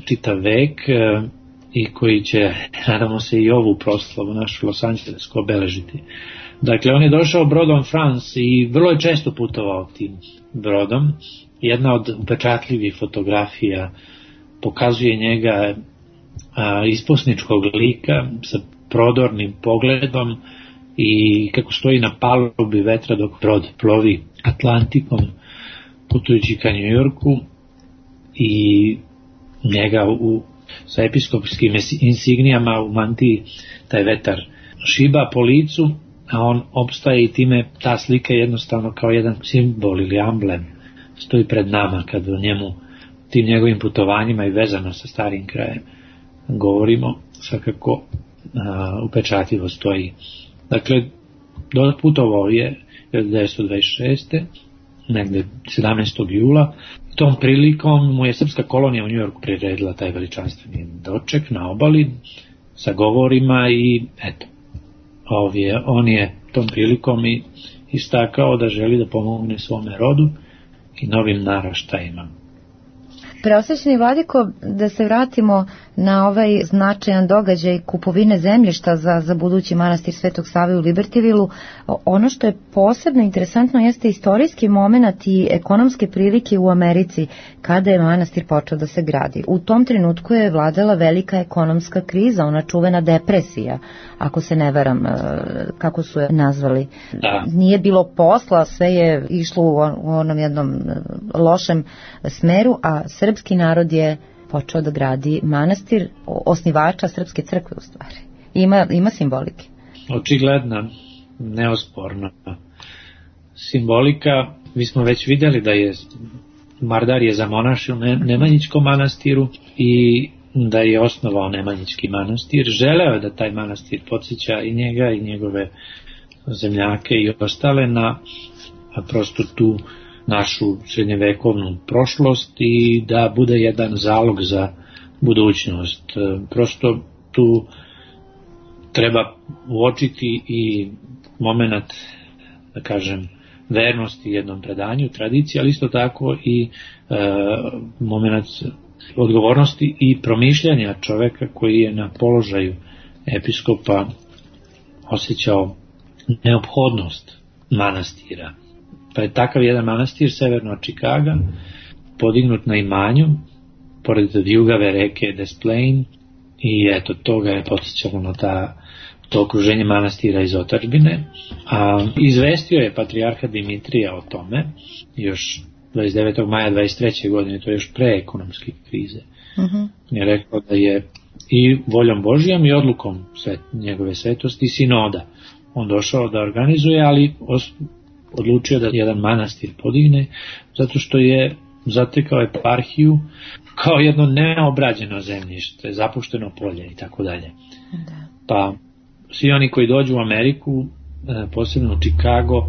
čitav vek i koji će, nadamo se, i ovu proslavu našu Los Angelesku obeležiti. Dakle, on je došao brodom France i vrlo je često putovao tim brodom. Jedna od upečatljivih fotografija pokazuje njega isposničkog lika sa prodornim pogledom i kako stoji na palubi vetra dok brod plovi Atlantikom putujući ka New Yorku i njega sa episkopskim insignijama u mantiji taj vetar šiba po licu, a on opstaje i time ta slika je jednostavno kao jedan simbol ili amblem stoji pred nama kad o njemu, tim njegovim putovanjima i vezano sa starim krajem govorimo, svakako upečatljivo stoji. Dakle, putovao je 1926. negde 17. jula. Tom prilikom mu je srpska kolonija u New Yorku priredila taj veličanstveni doček na obali sa govorima i eto, on je tom prilikom i istakao da želi da pomogne svome rodu i novim naraštajima. Preosvećeni vladiko, da se vratimo na ovaj značajan događaj kupovine zemljišta za budući manastir Svetog Save u Libertyvilu, ono što je posebno interesantno jeste istorijski moment i ekonomske prilike u Americi kada je manastir počeo da se gradi. U tom trenutku je vladala velika ekonomska kriza, ona čuvena depresija, ako se ne varam, kako su je nazvali. Da. Nije bilo posla, sve je išlo u onom jednom lošem smeru, a srpski narod je počeo da gradi manastir, osnivača Srpske crkve u stvari. Ima simbolike. Očigledna, neosporna simbolika. Mi smo već vidjeli da je Mardar je zamonašio Nemanjičkom manastiru i da je osnovao Nemanjički manastir. Želeo je da taj manastir podsjeća i njega i njegove zemljake i ostale na prosto tu našu srednjevekovnu prošlost i da bude jedan zalog za budućnost. Prosto tu treba uočiti i moment, da kažem, vernosti jednom predanju, tradiciji, ali isto tako i moment odgovornosti i promišljanja čoveka koji je na položaju episkopa osjećao neophodnost manastira. Pa je takav jedan manastir severno od Čikaga podignut na imanju pored vijugave reke Des Plaines i eto toga je podsjećalo na to okruženje manastira iz otadžbine. A izvestio je patrijarha Dimitrija o tome još 29. maja 23. godine, to je još pre ekonomske krize. Je rekao da je i voljom Božijom i odlukom njegove svetosti sinoda. On došao da organizuje, ali odlučio da jedan manastir podigne, zato što je zatekao eparhiju kao jedno neobrađeno zemljište, zapušteno polje i tako dalje. Pa svi oni koji dođu u Ameriku, posebno u Chicago,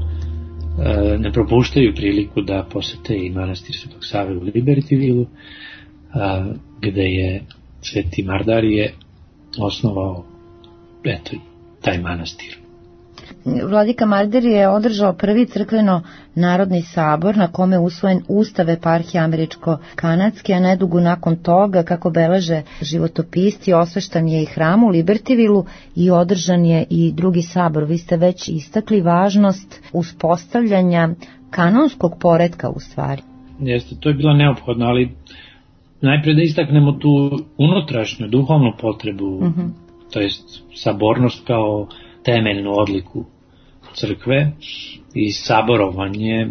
ne propuštaju priliku da posete i manastir Svetog Save u Libertyville, gde je Sveti Mardarije osnovao taj manastir. Vladika Mardarije je održao prvi crkveno-narodni sabor na kome je usvojen Ustav eparhije američko-kanadske, a nedugo nakon toga, kako beleže životopisci, osveštan je i hram u Libertyvilleu i održan je i drugi sabor. Vi ste već istakli važnost uspostavljanja kanonskog poretka u stvari. Jeste, to je bilo neophodno, ali najprej da istaknemo tu unutrašnju, duhovnu potrebu, to jest sabornost kao temeljnu odliku crkve i saborovanje,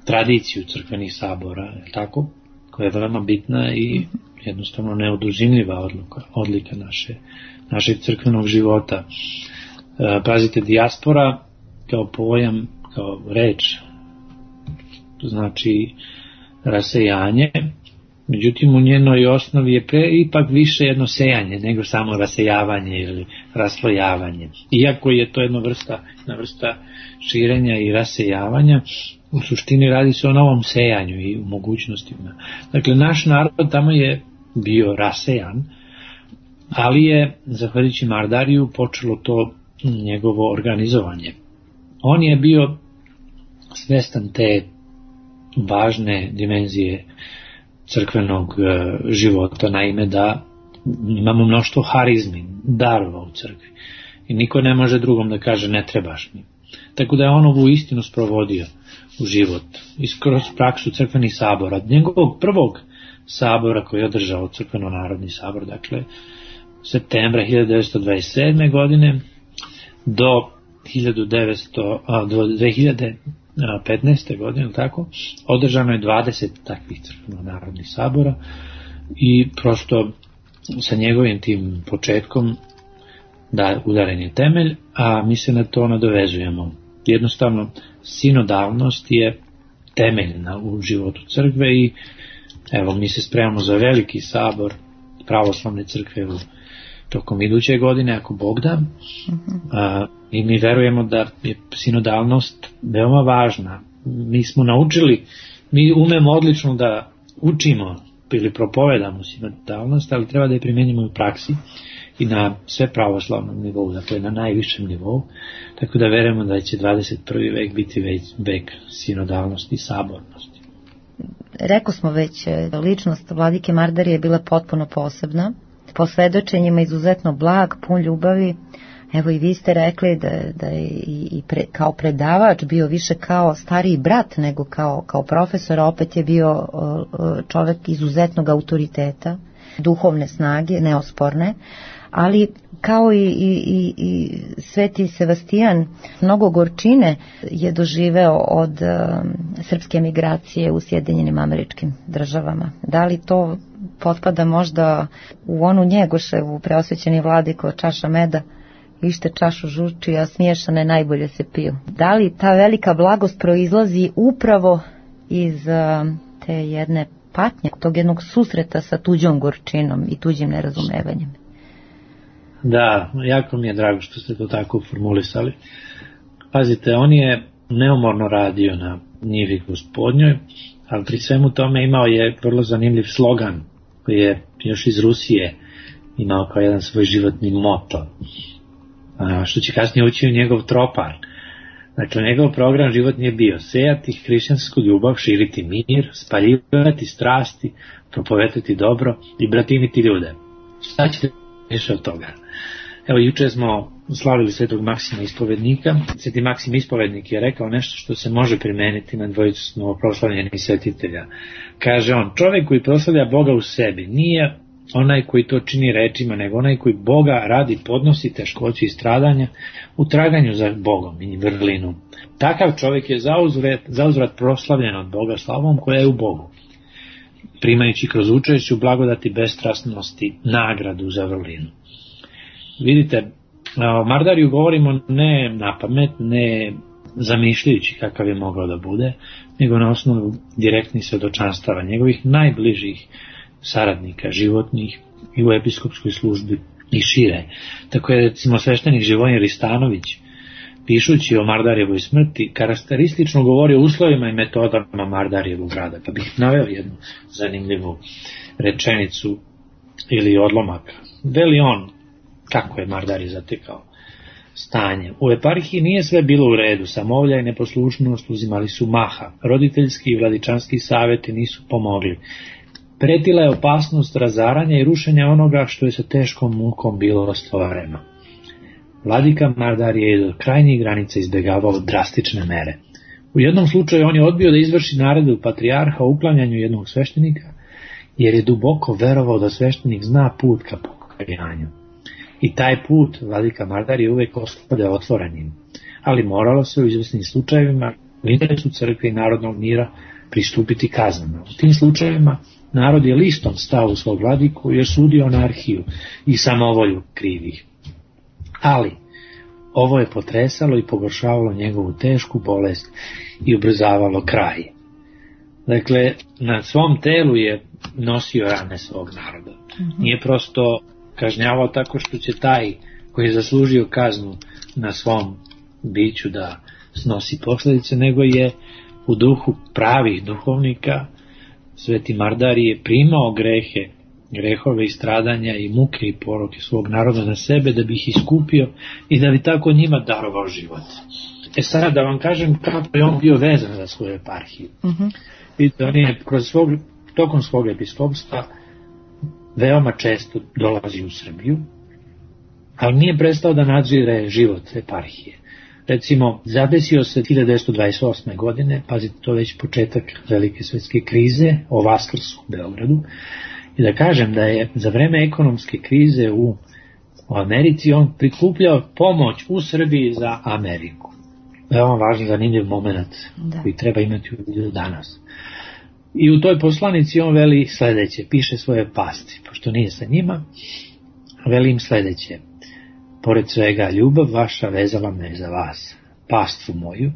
tradiciju crkvenih sabora, tako, koja je veoma bitna i jednostavno neoduzimljiva odlika našeg crkvenog života. Pazite, dijaspora kao pojam, kao reč, to znači rasejanje, međutim u njenoj osnovi je ipak više jedno sejanje nego samo rasejavanje ili raslojavanje. Iako je to jedna vrsta širenja i rasejavanja, u suštini radi se o novom sejanju i u mogućnostima. Dakle, naš narod tamo je bio rasejan, ali je, zahvaljujući Mardariju, počelo to njegovo organizovanje. On je bio svestan te važne dimenzije crkvenog života, naime da imamo mnoštvo harizmi, darova u crkvi i niko ne može drugom da kaže ne trebaš mi. Tako da je on ovu istinu sprovodio u život i kroz praksu crkvenih sabora. Njegovog prvog sabora koji je održao crkveno-narodni sabor, dakle septembra 1927. godine do 2015. godine, tako, održano je 20 takvih crkveno-narodnih sabora i prosto sa njegovim tim početkom da udaren je temelj, a mi se na to nadovezujemo. Jednostavno, sinodalnost je temeljna u životu crkve i evo, mi se spremamo za veliki sabor pravoslavne crkve tokom iduće godine, ako Bog da, i mi verujemo da je sinodalnost veoma važna. Mi smo naučili, mi umemo odlično da učimo ili propovedamo sinodalnost, ali treba da je primenimo u praksi i na sve pravoslavnom nivou, dakle na najvišem nivou, tako da verujemo da će 21. vek biti vek sinodalnosti i sabornosti. Rekao smo već, ličnost vladike Mardarije je bila potpuno posebna, po svedočenjima izuzetno blag, pun ljubavi. Evo i vi ste rekli da je kao predavač bio više kao stariji brat nego kao profesor, opet je bio čovjek izuzetnog autoriteta, duhovne snage, neosporne, ali kao i Sveti Sebastijan, mnogo gorčine je doživeo od srpske emigracije u Sjedinjenim Američkim Državama. Da li to potpada možda u onu Njegoševu preosvećeni vladiko čaša meda, ište čašu žuči, a smiješane najbolje se piju? Da li ta velika blagost proizlazi upravo iz te jedne patnje, tog jednog susreta sa tuđom gorčinom i tuđim nerazumevanjem? Da, jako mi je drago što ste to tako formulisali. Pazite, on je neumorno radio na njivi Gospodnjoj, ali pri svemu tome imao je vrlo zanimljiv slogan koji je još iz Rusije imao kao jedan svoj životni moto, što će kasnije ući u njegov tropar. Dakle, njegov program životni je bio sejati hrišćansku ljubav, širiti mir, spaljivati strasti, propovetati dobro i bratimiti ljude. Šta ćete više od toga? Evo, juče smo slavili Svetog Maksima Ispovednika. Sveti Maksim Ispovednik je rekao nešto što se može primeniti na dvojicu novoproslavljenih svetitelja. Kaže on, čovjek koji proslavlja Boga u sebi nije onaj koji to čini rečima, nego onaj koji Boga radi podnosi teškoću i stradanja u traganju za Bogom i vrlinom. Takav čovjek je zauzvrat proslavljen od Boga slavom koja je u Bogu. primajući kroz učešće u blagodati bestrasnosti nagradu za vrlinu. Vidite, o Mardariju govorimo ne na pamet, ne zamišljajući kakav je mogao da bude, nego na osnovu direktnih svedočanstava njegovih najbližih saradnika, životnih i u episkopskoj službi i šire. Tako je, recimo, sveštenik Živojin Ristanović, pišući o Mardarijevoj smrti, karakteristično govori o uslovima i metodama Mardarijevog rada. Pa bih naveo jednu zanimljivu rečenicu ili odlomak. Veli on kako je Mardarije zatekao stanje. U eparhiji nije sve bilo u redu, samovlja i neposlušnost uzimali su maha, roditeljski i vladičanski savjeti nisu pomogli. Pretila je opasnost razaranja i rušenja onoga što je sa teškom mukom bilo ostvareno. Vladika Mardarije je do krajnjih granica izbjegavao drastične mere. U jednom slučaju on je odbio da izvrši naredbu patrijarha o uklanjanju jednog sveštenika, jer je duboko verovao da sveštenik zna put ka pokajanju. I taj put vladika Mardarije uvek ostavlja otvorenim, ali moralo se u izvesnim slučajevima u interesu crkve i narodnog mira pristupiti kaznama. U tim slučajevima narod je listom stao u svog vladiku jer sudio anarhiju i samovolju krivih. Ali ovo je potresalo i pogoršavalo njegovu tešku bolest i ubrzavalo kraj. Dakle, na svom telu je nosio rane svog naroda. Nije prosto kažnjavao tako što će taj koji je zaslužio kaznu na svom biću da snosi posljedice, nego je u duhu pravih duhovnika Sveti Mardarije primao grehove i stradanja i muke i poroke svog naroda na sebe da bi ih iskupio i da bi tako njima darovao život. Sada da vam kažem kako je on bio vezan za svoju eparhiju. Vidite, on je tokom svog episkopstva veoma često dolazi u Srbiju, ali nije prestao da nadzire život eparhije. Recimo, zadesio se 1928. godine, pazite, to već početak velike svetske krize, o Vaskrsu u Beogradu, i da kažem da je za vreme ekonomske krize u Americi on prikupljao pomoć u Srbiji za Ameriku. Veoma važan, zanimljiv moment koji treba imati u vidu danas. I u toj poslanici on veli sledeće, piše svoje pasti, pošto nije sa njima, veli im sledeće: pored svega, ljubav vaša vezala me za vas, pastvu moju,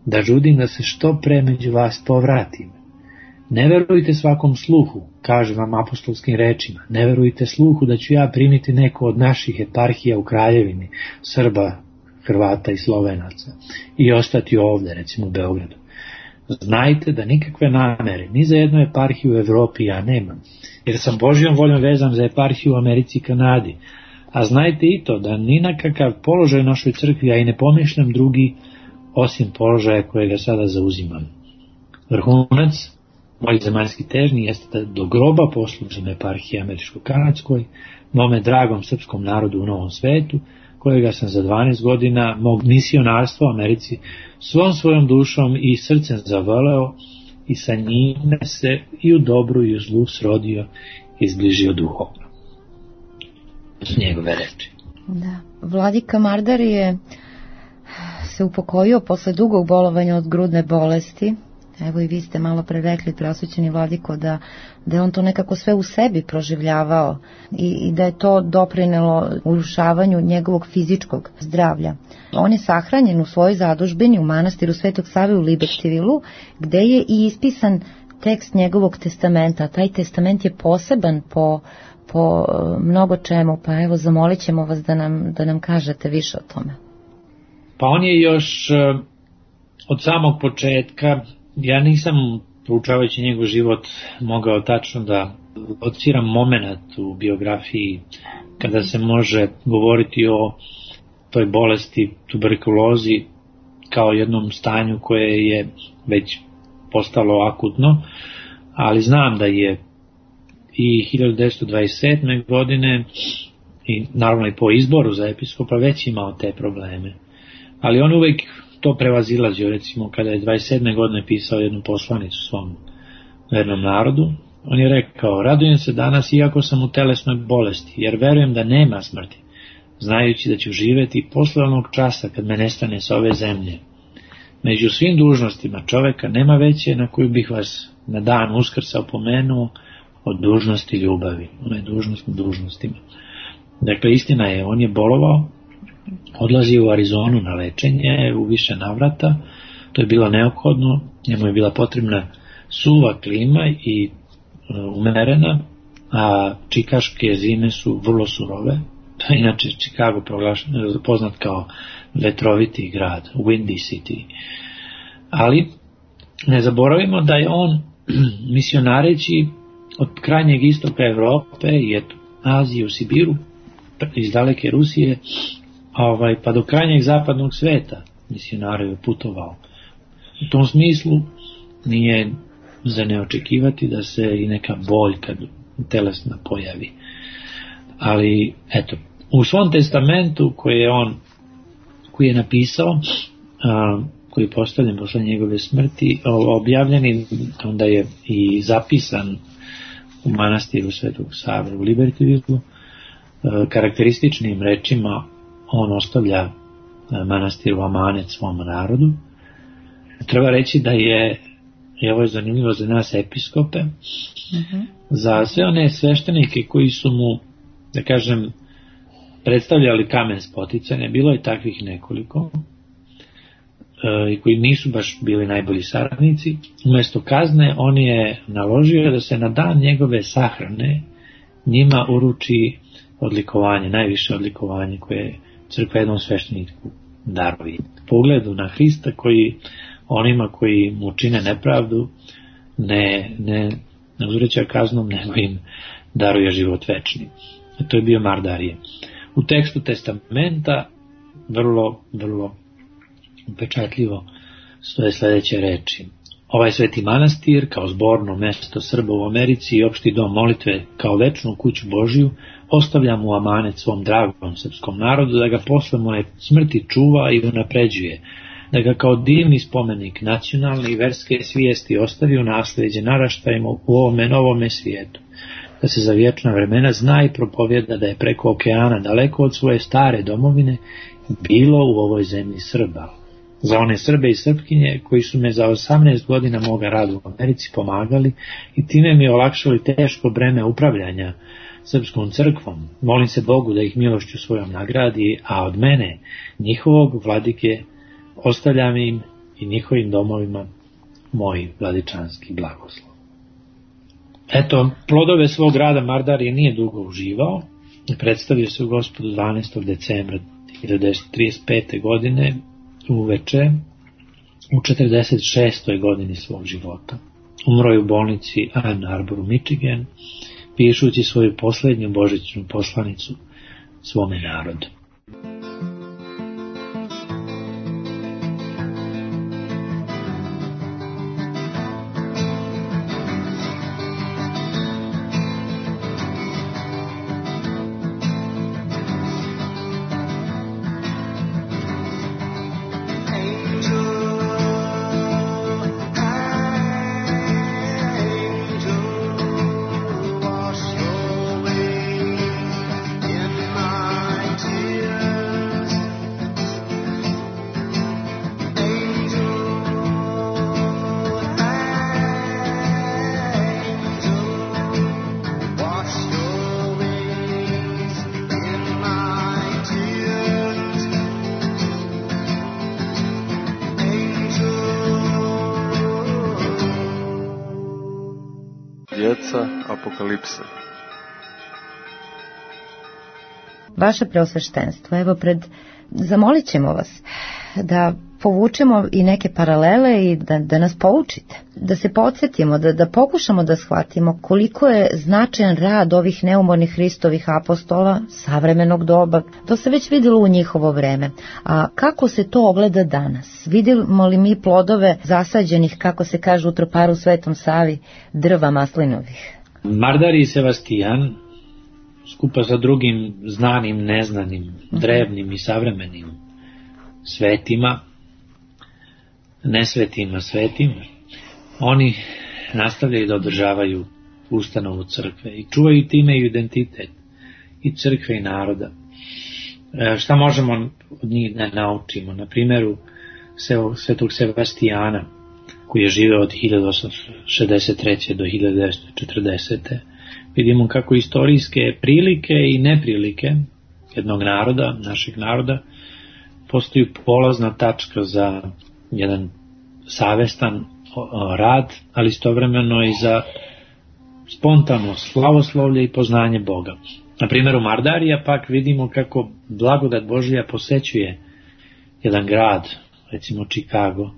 da žudim da se što pre među vas povratim. Ne verujte svakom sluhu, kažem vam apostolskim rečima, ne verujte sluhu da ću ja primiti neko od naših eparhija u kraljevini, Srba, Hrvata i Slovenaca, i ostati ovde, recimo u Beogradu. Znajte da nikakve namere ni za jednu eparhiju u Evropi ja nemam, jer sam Božjom voljom vezan za eparhiju u Americi i Kanadi, a znajte i to da ni na kakav položaj u našoj crkvi ja i ne pomišljam drugi osim položaja kojega sada zauzimam. Vrhunac mojih zemaljskih težnji jeste da do groba poslužim eparhiji američko-kanadskoj, mome dragom srpskom narodu u Novom svetu, kojega sam za 12 godina mog misionarstva u Americi svom svojom dušom i srcem zavoleo i sa njime se i u dobru i u zlu srodio i zbližio duhovno. S njegove reči. Da. Vladika Mardarije se upokojio posle dugog bolovanja od grudne bolesti. Evo i vi ste malo pre rekli, preosvećeni vladiko, da je on to nekako sve u sebi proživljavao i da je to doprinelo urušavanju njegovog fizičkog zdravlja. On je sahranjen u svojoj zadužbini u manastiru Svetog Save u Libektivilu, gde je i ispisan tekst njegovog testamenta. Taj testament je poseban po mnogo čemu, pa evo zamolit ćemo vas da nam kažete više o tome. Pa on je još od samog početka, ja nisam proučavajući njegov život mogao tačno da lociram moment u biografiji kada se može govoriti o toj bolesti, tuberkulozi, kao jednom stanju koje je već postalo akutno, ali znam da je i 1927. godine i naravno i po izboru za episkopa već imao te probleme. Ali on uvek to prevazilazio, recimo kada je 27. godine pisao jednu poslanicu svom vernom narodu, on je rekao: radujem se danas iako sam u telesnoj bolesti, jer verujem da nema smrti, znajući da ću živeti posle onog časa kad me nestane s ove zemlje. Među svim dužnostima čoveka nema veće na koju bih vas na dan Uskrsa opomenuo od dužnosti ljubavi. Ona je dužnost na dužnostima. Dakle, istina je, on je bolovao, odlazio u Arizonu na lečenje u više navrata, to je bilo neophodno, njemu je bila potrebna suva klima i umerena, a čikaške zime su vrlo surove. Inače, Chicago poznat kao vetroviti grad, windy city. Ali ne zaboravimo da je on misionareći od krajnjeg istoka Evrope i Azije u Sibiru, iz daleke Rusije, pa do krajnjeg zapadnog sveta misionario je putovao. U tom smislu nije za ne očekivati da se i neka boljka telesna pojavi. Ali, eto, u svom testamentu koji je napisao, koji je postavljen posle njegove smrti, objavljen i onda je i zapisan u manastiru Svetog Save u Libertyvilu, karakterističnim rečima on ostavlja manastir u amanet svom narodu. Treba reći da je, i ovo je zanimljivo za nas episkope, za sve one sveštenike koji su mu, da kažem, predstavljali kamen spoticanja, bilo je takvih nekoliko, i koji nisu baš bili najbolji saradnici. Umjesto kazne on je naložio da se na dan njegove sahrane njima uruči odlikovanje, najviše odlikovanje koje crkva jednom svešteniku daruje. Po ugledu na Hrista koji onima koji mu čine nepravdu ne uzvraća kaznom, nego im daruje život večni. To je bio Mardarije. U tekstu testamenta vrlo upečatljivo stoje sljedeće reči. Ovaj sveti manastir kao zborno mesto Srba u Americi i opšti dom molitve kao večnu kuću Božiju ostavljam u amanet svom dragom srpskom narodu da ga posle moje smrti čuva i unapređuje, da ga kao divni spomenik nacionalne i verske svijesti ostavi u naslijeđe naraštajima u ovome novome svijetu, da se za vječna vremena zna i propovjeda da je preko okeana daleko od svoje stare domovine bilo u ovoj zemlji Srba. Za one Srbe i Srpkinje koji su me za 18 godina moga rada u Americi pomagali i time mi olakšali teško breme upravljanja srpskom crkvom. Molim se Bogu da ih milošću svojom nagradi, a od mene, njihovog vladike, ostavljam im i njihovim domovima moj vladičanski blagoslov. Eto, plodove svog rada Mardarije nije dugo uživao. Predstavio se u Gospodu 12. decembra 1935. godine uveče u 46. godini svog života. Umro je u bolnici Ann Arbor u Michigan, pišući svoju posljednju božićnu poslanicu svome narodu. Djeca apokalipse. Vaše preosveštenstvo, evo zamolit ćemo vas da povučemo i neke paralele i da nas poučite, da se podsjetimo, da pokušamo da shvatimo koliko je značajan rad ovih neumornih Hristovih apostola savremenog doba. To se već vidjelo u njihovo vreme. A kako se to ogleda danas? Vidimo li mi plodove zasađenih, kako se kaže u Troparu Svetom Savi, drva maslinovih? Mardarij i Sebastijan, skupa sa drugim znanim, neznanim, drevnim i savremenim svetima, nesvetima, svetima, oni nastavljaju da održavaju ustanovu crkve i čuvaju time i identitet i crkve i naroda. Šta možemo od njih da naučimo? Na primjeru svetog Sevastijana, koji je živeo od 1863. do 1940. Vidimo kako istorijske prilike i neprilike jednog naroda, našeg naroda, postaju polazna tačka za jedan savestan rad, ali istovremeno i za spontano slavoslovlje i poznanje Boga. Na primjeru Mardarija pak vidimo kako blagodat Božja posećuje jedan grad, recimo Chicago,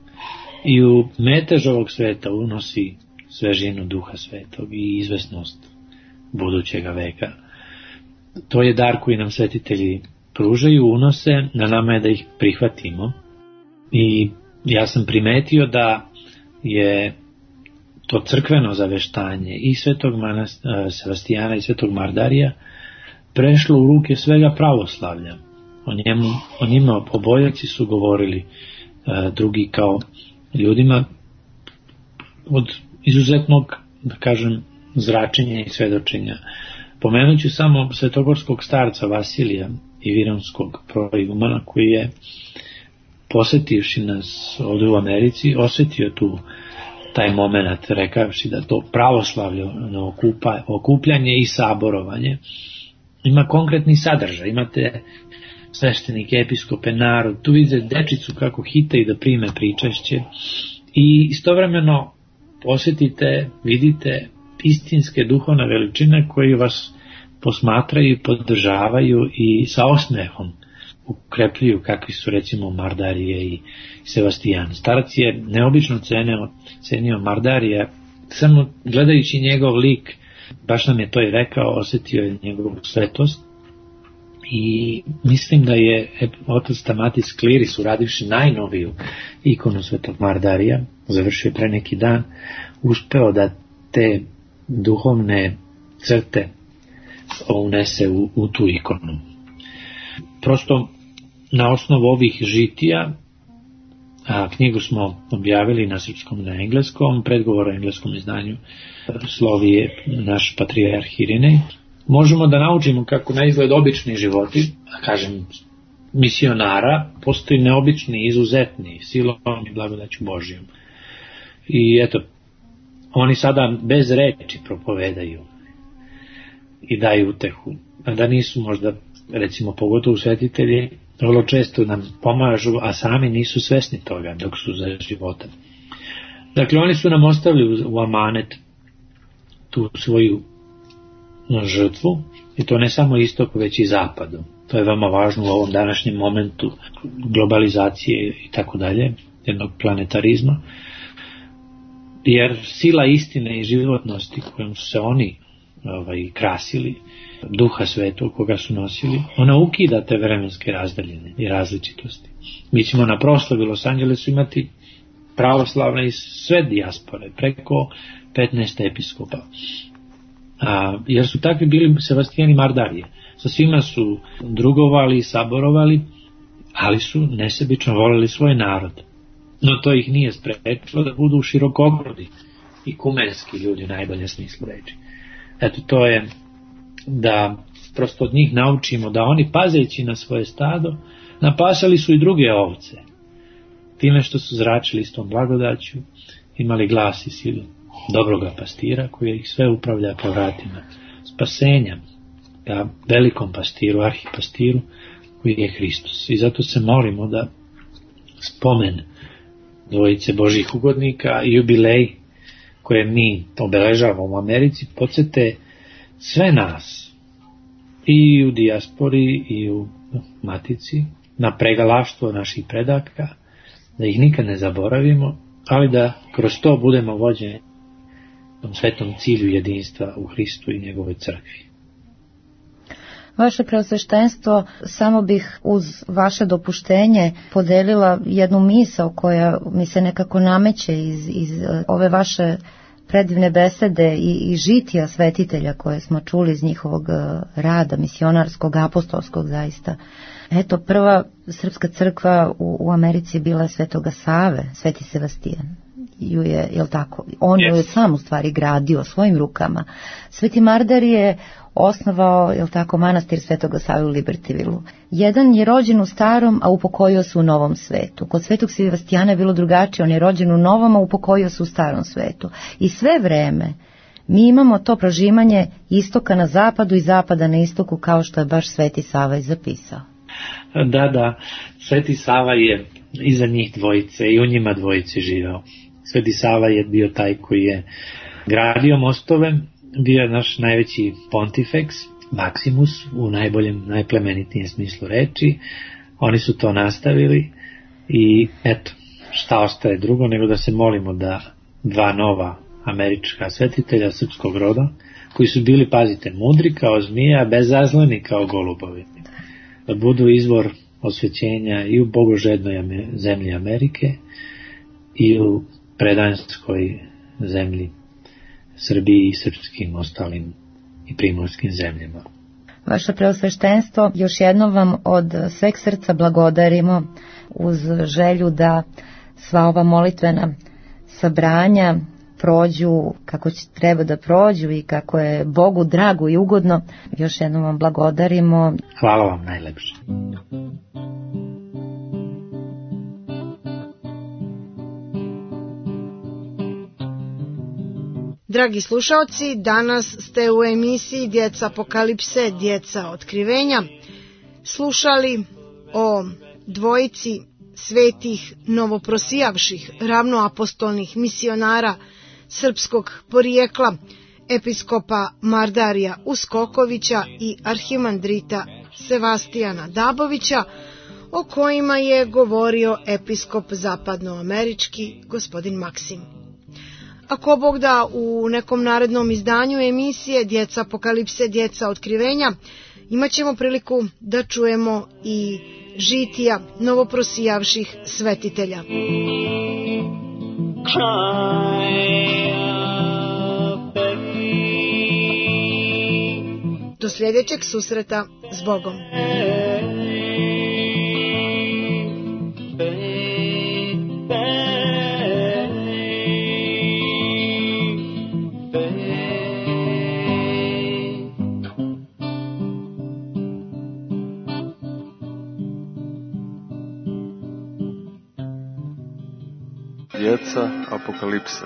i u metež ovog sveta unosi svežinu Duha Svetog i izvesnost budućega veka. To je dar koji nam svetitelji pružaju, unose, na nama je da ih prihvatimo. I ja sam primetio da je to crkveno zaveštanje i svetog Sevastijana i svetog Mardarija prešlo u ruke svega pravoslavlja. O njima obojaci su govorili drugi kao ljudima od izuzetnog, da kažem, zračenja i svedočenja. Pomenut ću samo svetogorskog starca Vasilija i Vironskog proigumana, koji je, posetivši nas ovdje u Americi, osjetio taj moment, rekavši da to pravoslavljeno okupljanje i saborovanje ima konkretni sadržaj. Imate sveštenike, episkope, narod, tu vidite dečicu kako hitaju da prime pričašće i istovremeno posjetite, vidite istinske duhovne veličine koje vas posmatraju, podržavaju i sa osmehom ukrepljuju, kakvi su recimo Mardarije i Sevastijan. Starac je neobično cenio Mardarija, samo gledajući njegov lik, baš nam je to i rekao, osjetio je njegovu svetost. I mislim da je otac Stamatis Kliris, uradivši najnoviju ikonu svetog Mardarija, završio pre neki dan, uspeo da te duhovne crte unese u tu ikonu. Prosto na osnovu ovih žitija, a knjigu smo objavili na srpskom i na engleskom, predgovor o engleskom izdanju slovi je naš patrijarh Irinej, možemo da naučimo kako na izgled obični životi, a kažem misionara, postoji neobični, izuzetni, silom i blagodaću Božijom. I eto, oni sada bez reči propovedaju i daju utehu, a da nisu možda, recimo pogotovo svetitelji, vrlo često nam pomažu, a sami nisu svesni toga dok su za života. Dakle, oni su nam ostavili u amanet tu svoju žrtvu, i to ne samo istoku, već i zapadu. To je veoma važno u ovom današnjem momentu globalizacije i tako dalje, jednog planetarizma, jer sila istine i životnosti kojom su se oni krasili, Duha Svetog koga su nosili, ona ukida te vremenske razdaljine i različitosti. Mi ćemo na proslavi u Los Angelesu imati pravoslavne i sve dijaspore, preko 15 episkopa. Jer su takvi bili Sevastijan i Mardarije. Sa svima su drugovali i saborovali, ali su nesebično voleli svoj narod. No to ih nije sprečilo da budu širokogrudi i kumenski ljudi u najboljem smislu reči. Eto, to je da prosto od njih naučimo da oni, pazeći na svoje stado, napasali su i druge ovce. Time što su zračili s tom blagodaću, imali glas i silu dobroga pastira koji ih sve upravlja po vratima spasenja, ka velikom pastiru, arhipastiru koji je Hristos. I zato se molimo da spomen dvojice Božih ugodnika i jubilej koje mi obeležavamo u Americi podsjete sve nas i u dijaspori i u matici na pregalaštvo naših predaka, da ih nikad ne zaboravimo, ali da kroz to budemo vođeni tom svetom cilju jedinstva u Hristu i njegovoj crkvi. Vaše preosveštenstvo, samo bih uz vaše dopuštenje podelila jednu misao koja mi se nekako nameće iz ove vaše predivne besede i žitija svetitelja koje smo čuli iz njihovog rada, misionarskog, apostolskog zaista. Eto, prva srpska crkva u Americi je bila Svetoga Save, Sveti Sevastijan. ju je, jel tako, on ju je sam u stvari gradio svojim rukama. Sveti Mardar je osnovao, jel tako, manastir Svetoga Save u Libertyvilu. Jedan je rođen u starom, a upokojio se u novom svetu. Kod Svetog Sevastijana je bilo drugačije, on je rođen u novom, a upokojio se u starom svetu. I sve vreme mi imamo to prožimanje istoka na zapadu i zapada na istoku, kao što je baš Sveti Sava i zapisao. Da, Sveti Sava je iza njih dvojice i u njima dvojice živeo. Sveti Sava je bio taj koji je gradio mostove, bio je naš najveći pontifeks, Maximus, u najboljem, najplemenitijem smislu reči. Oni su to nastavili i eto, šta ostaje drugo nego da se molimo da dva nova američka svetitelja srpskog roda, koji su bili, pazite, mudri kao zmija, bezazleni kao golubovi, da budu izvor osvećenja i u bogožednoj zemlji Amerike i u predanskoj zemlji Srbiji i srpskim ostalim i primorskim zemljama. Vaše preosveštenstvo, još jednom vam od sveg srca blagodarimo uz želju da sva ova molitvena sabranja prođu kako treba da prođu i kako je Bogu drago i ugodno. Još jednom vam blagodarimo. Hvala vam najlepše. Dragi slušaoci, danas ste u emisiji Djeca apokalipse, djeca otkrivenja slušali o dvojici svetih novoprosijavših ravnoapostolnih misionara srpskog porijekla, episkopa Mardarija Uskokovića i arhimandrita Sevastijana Dabovića, o kojima je govorio episkop zapadnoamerički gospodin Maksim. Ako Bog da, u nekom narednom izdanju emisije Djeca apokalipse, djeca otkrivenja imat ćemo priliku da čujemo i žitija novoprosijavših svetitelja. Do sljedećeg susreta s Bogom. Djeca apokalipse.